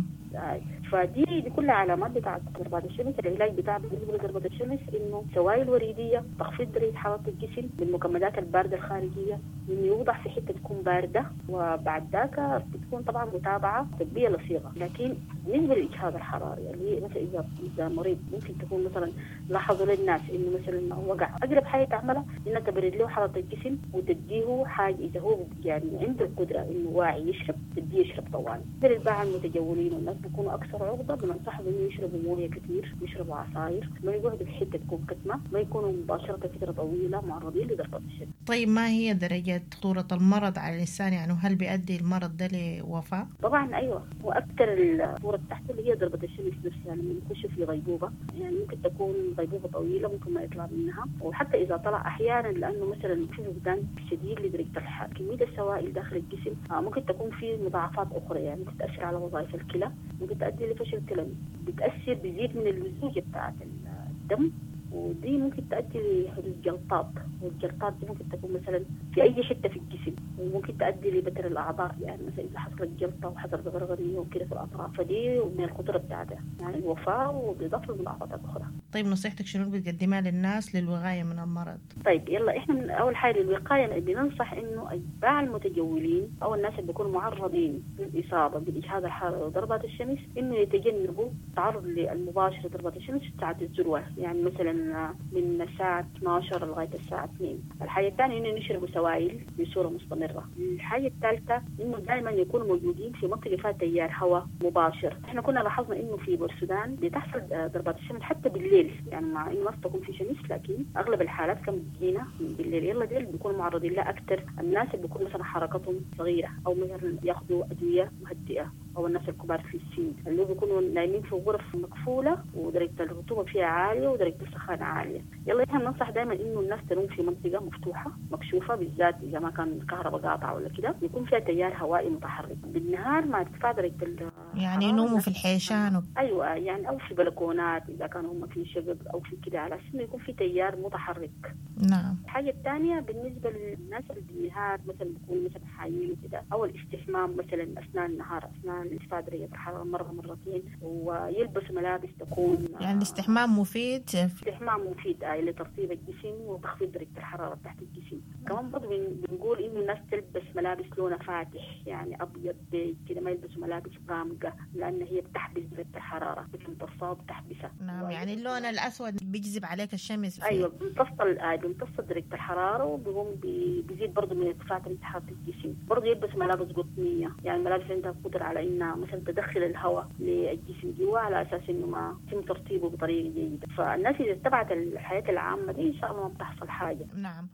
Speaker 8: فدي دي كلها علامات بتاعت ضربات الشمس. العلاج بتاع بالنسبة لضربة الشمس إنه سوائل وريدية، تخفيض درجة حرارة الجسم بالمكمدات الباردة الخارجية، إنه يوضع في حتة تكون باردة، وبعد ذاك بتكون طبعا متابعة طبية لصيغة. لكن بالنسبة للإجهاد الحراري اللي هي مثلا إذا مريض ممكن تكون مثلا لاحظوا للناس إنه مثلا وقع، أقرب حاجة تعملها إنها تبرد له حرارة الجسم وتديه حاجة إذا هو يعني عنده القدرة إنه واعي يشرب، تديه يشرب طوال. الباعة المتجولين والناس بيكونوا أكثر عرضة، بننصحهم إنه يشربوا موية كثير، يشربوا عصاير، ما يقعدوا في حتة تكون كتمة، ما يكونوا مباشرة فترة طويلة معرضين لضربات الشمس.
Speaker 7: طيب ما هي درجة خطورة المرض على الإنسان؟ يعني هل بيؤدي المرض ده لوفاة؟
Speaker 8: طبعا أيوة، وأكثر الخطورة تحت اللي هي ضربة الشمس نفسها لما يخش في غيبوبة، يعني ممكن تكون غيبوبة طويلة ممكن ما يطلع منها، وحتى إذا طلع أحيانا لأنه مثلا في فقدان شديد لدرجة الحرارة، كمية السوائل داخل الجسم، ممكن تكون في مضاعفات أخرى، يعني ممكن تأثر على وظائف الكلى، ممكن تؤدي لفشل كلوي، بتأثر بزيد من اللزوجة بتاعت الدم، ودي ممكن تؤدي لحدوث جلطات، والجلطات دي ممكن تكون مثلا في أي حتة في الجسم، وممكن تؤدي لبتر الأعضاء، يعني مثلا إذا حصلت جلطة وحصلت غرغرية وكده في الأطراف، فدي من الخطورة بتاعتها يعني الوفاة وبالإضافة للمضاعفات الأخرى.
Speaker 7: طيب نصيحتك شنو بتقدمها للناس للوقاية من المرض؟
Speaker 8: طيب يلا إحنا من أول حاجة للوقاية بننصح إنه أتباع المتجولين أو الناس اللي بيكونوا معرضين للإصابة بالإجهاد الحراري وضربات الشمس إنه يتجنبوا التعرض المباشر لضربات الشمس في ساعة الذروة، يعني مثلا من الساعة 12 لغاية الساعة 2. الحاجة الثانية إنه يشربوا سوائل بصورة مستمرة. الحاجة الثالثة إنه دائما يكونوا موجودين في منطقة فيها تيار هواء مباشر. إحنا كنا لاحظنا إنه في بورسودان بتحصل ضربات الشمس حتى بالليل، يعني مع إنه ما تكون في شمس لكن أغلب الحالات كانت بتجينا بالليل. يلا ديل بيكونوا معرضين لها أكثر الناس اللي بيكون مثلا حركتهم صغيرة أو مثلا ياخذوا أدوية مهدئة او الناس الكبار في السن اللي بيكونوا نايمين في غرف مقفولة ودرجة الرطوبة فيها عالية ودرجة السخانه عالية. يلا احنا بننصح دائما انه الناس تنوم في منطقة مفتوحة مكشوفة، بالذات اذا ما كان الكهرباء قاطعه ولا كده، يكون فيها تيار هوائي متحرك بالنهار مع ارتفاع درجه
Speaker 7: يعني ينوموا في الحيشان
Speaker 8: ايوه، يعني او في بلكونات اذا كانوا هم في شقق او في كده، على اساس انه يكون في تيار متحرك.
Speaker 7: نعم.
Speaker 8: الحاجة الثانية بالنسبة للناس اللي بالنهار مثلا بيكونوا مثلا حايمين وكده، او الاستحمام مثلا اثناء النهار اثناء ارتفاع درجه الحرارة مرة مرتين، ويلبسوا ملابس تكون
Speaker 7: يعني الاستحمام مفيد.
Speaker 8: الاستحمام مفيد لترطيب الجسم وتخفيض درجه الحرارة تحت الجسم. كمان برضه بنقول انه الناس تلبس ملابس لونها فاتح، يعني ابيض بيج كده، ما يلبسوا ملابس غامقه لان هي بتحبس درجه الحرارة، بتمتصها وبتحبسها.
Speaker 7: نعم، يعني اللون الاسود بيجذب عليك الشمس.
Speaker 8: ايوه، بيمتص درجه الحرارة وبيقوم بيزيد برضه من ارتفاع درجه حرارة الجسم. برضه يلبس ملابس قطنيه، يعني ملابس عندها قدره على انها مثلا تدخل الهواء للجسم جوا على اساس انه ما يتم ترطيبه بطريقة جيدة. فالناس اذا اتبعت الحياة العامة دي ان شاء الله ما بتحصل حاجة.
Speaker 7: نعم.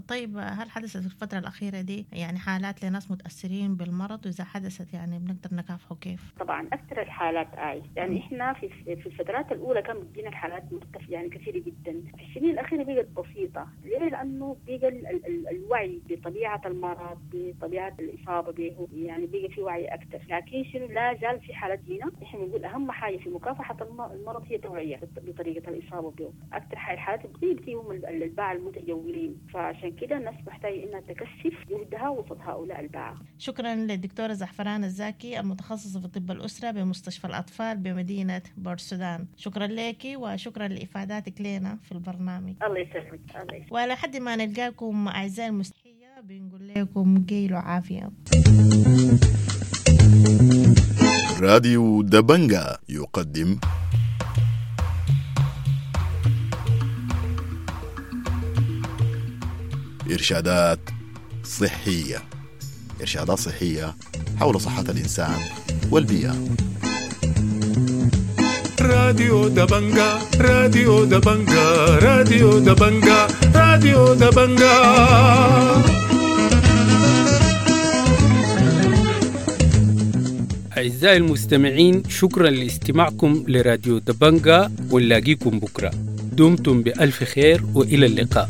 Speaker 7: طيب، هل حدثت في الفترة الاخيرة دي يعني حالات لناس متاثرين بالمرض؟ واذا حدثت يعني بنقدر نكافحه كيف؟
Speaker 8: طبعا اكثر الحالات يعني احنا في الفترات الاولى كان بتجينا الحالات مرتفعة يعني كثيرة جدا. في السنين الاخيرة بقت بسيطة. ليه؟ لانه بقى الوعي بطبيعة المرض، بطبيعة الاصابة به، يعني بقى في وعي اكثر. لكن شنو، لا زال في حالات هنا. احنا بنقول اهم حاجة في مكافحة المرض هي التوعية بطريقة الاصابة به. اكثر الحالات بتيجي هم الباعة المتجولين، فعشان كده الناس محتاجه انها تكثف جهدها وسط هؤلاء الباعة.
Speaker 7: شكرا للدكتوره زعفران الزاكي المتخصصة في طب الاسرة بمستشفى الاطفال بمدينة بورسودان. شكرا لك وشكرا لافاداتك لنا في البرنامج.
Speaker 8: الله يسلمك. الله يسلمك.
Speaker 7: ولحد ما نلقاكم اعزائي المستمعين بنقول لكم قيلوا عافية.
Speaker 3: راديو دبنجا يقدم إرشادات صحية. إرشادات صحية حول صحة الإنسان والبيئة.
Speaker 1: راديو دبنجا، راديو دبنجا، راديو دبنجا، راديو دبنجا.
Speaker 9: أعزائي المستمعين، شكرا لاستماعكم لراديو دبنجا، ونلاقيكم بكرة. دمتم بألف خير وإلى اللقاء.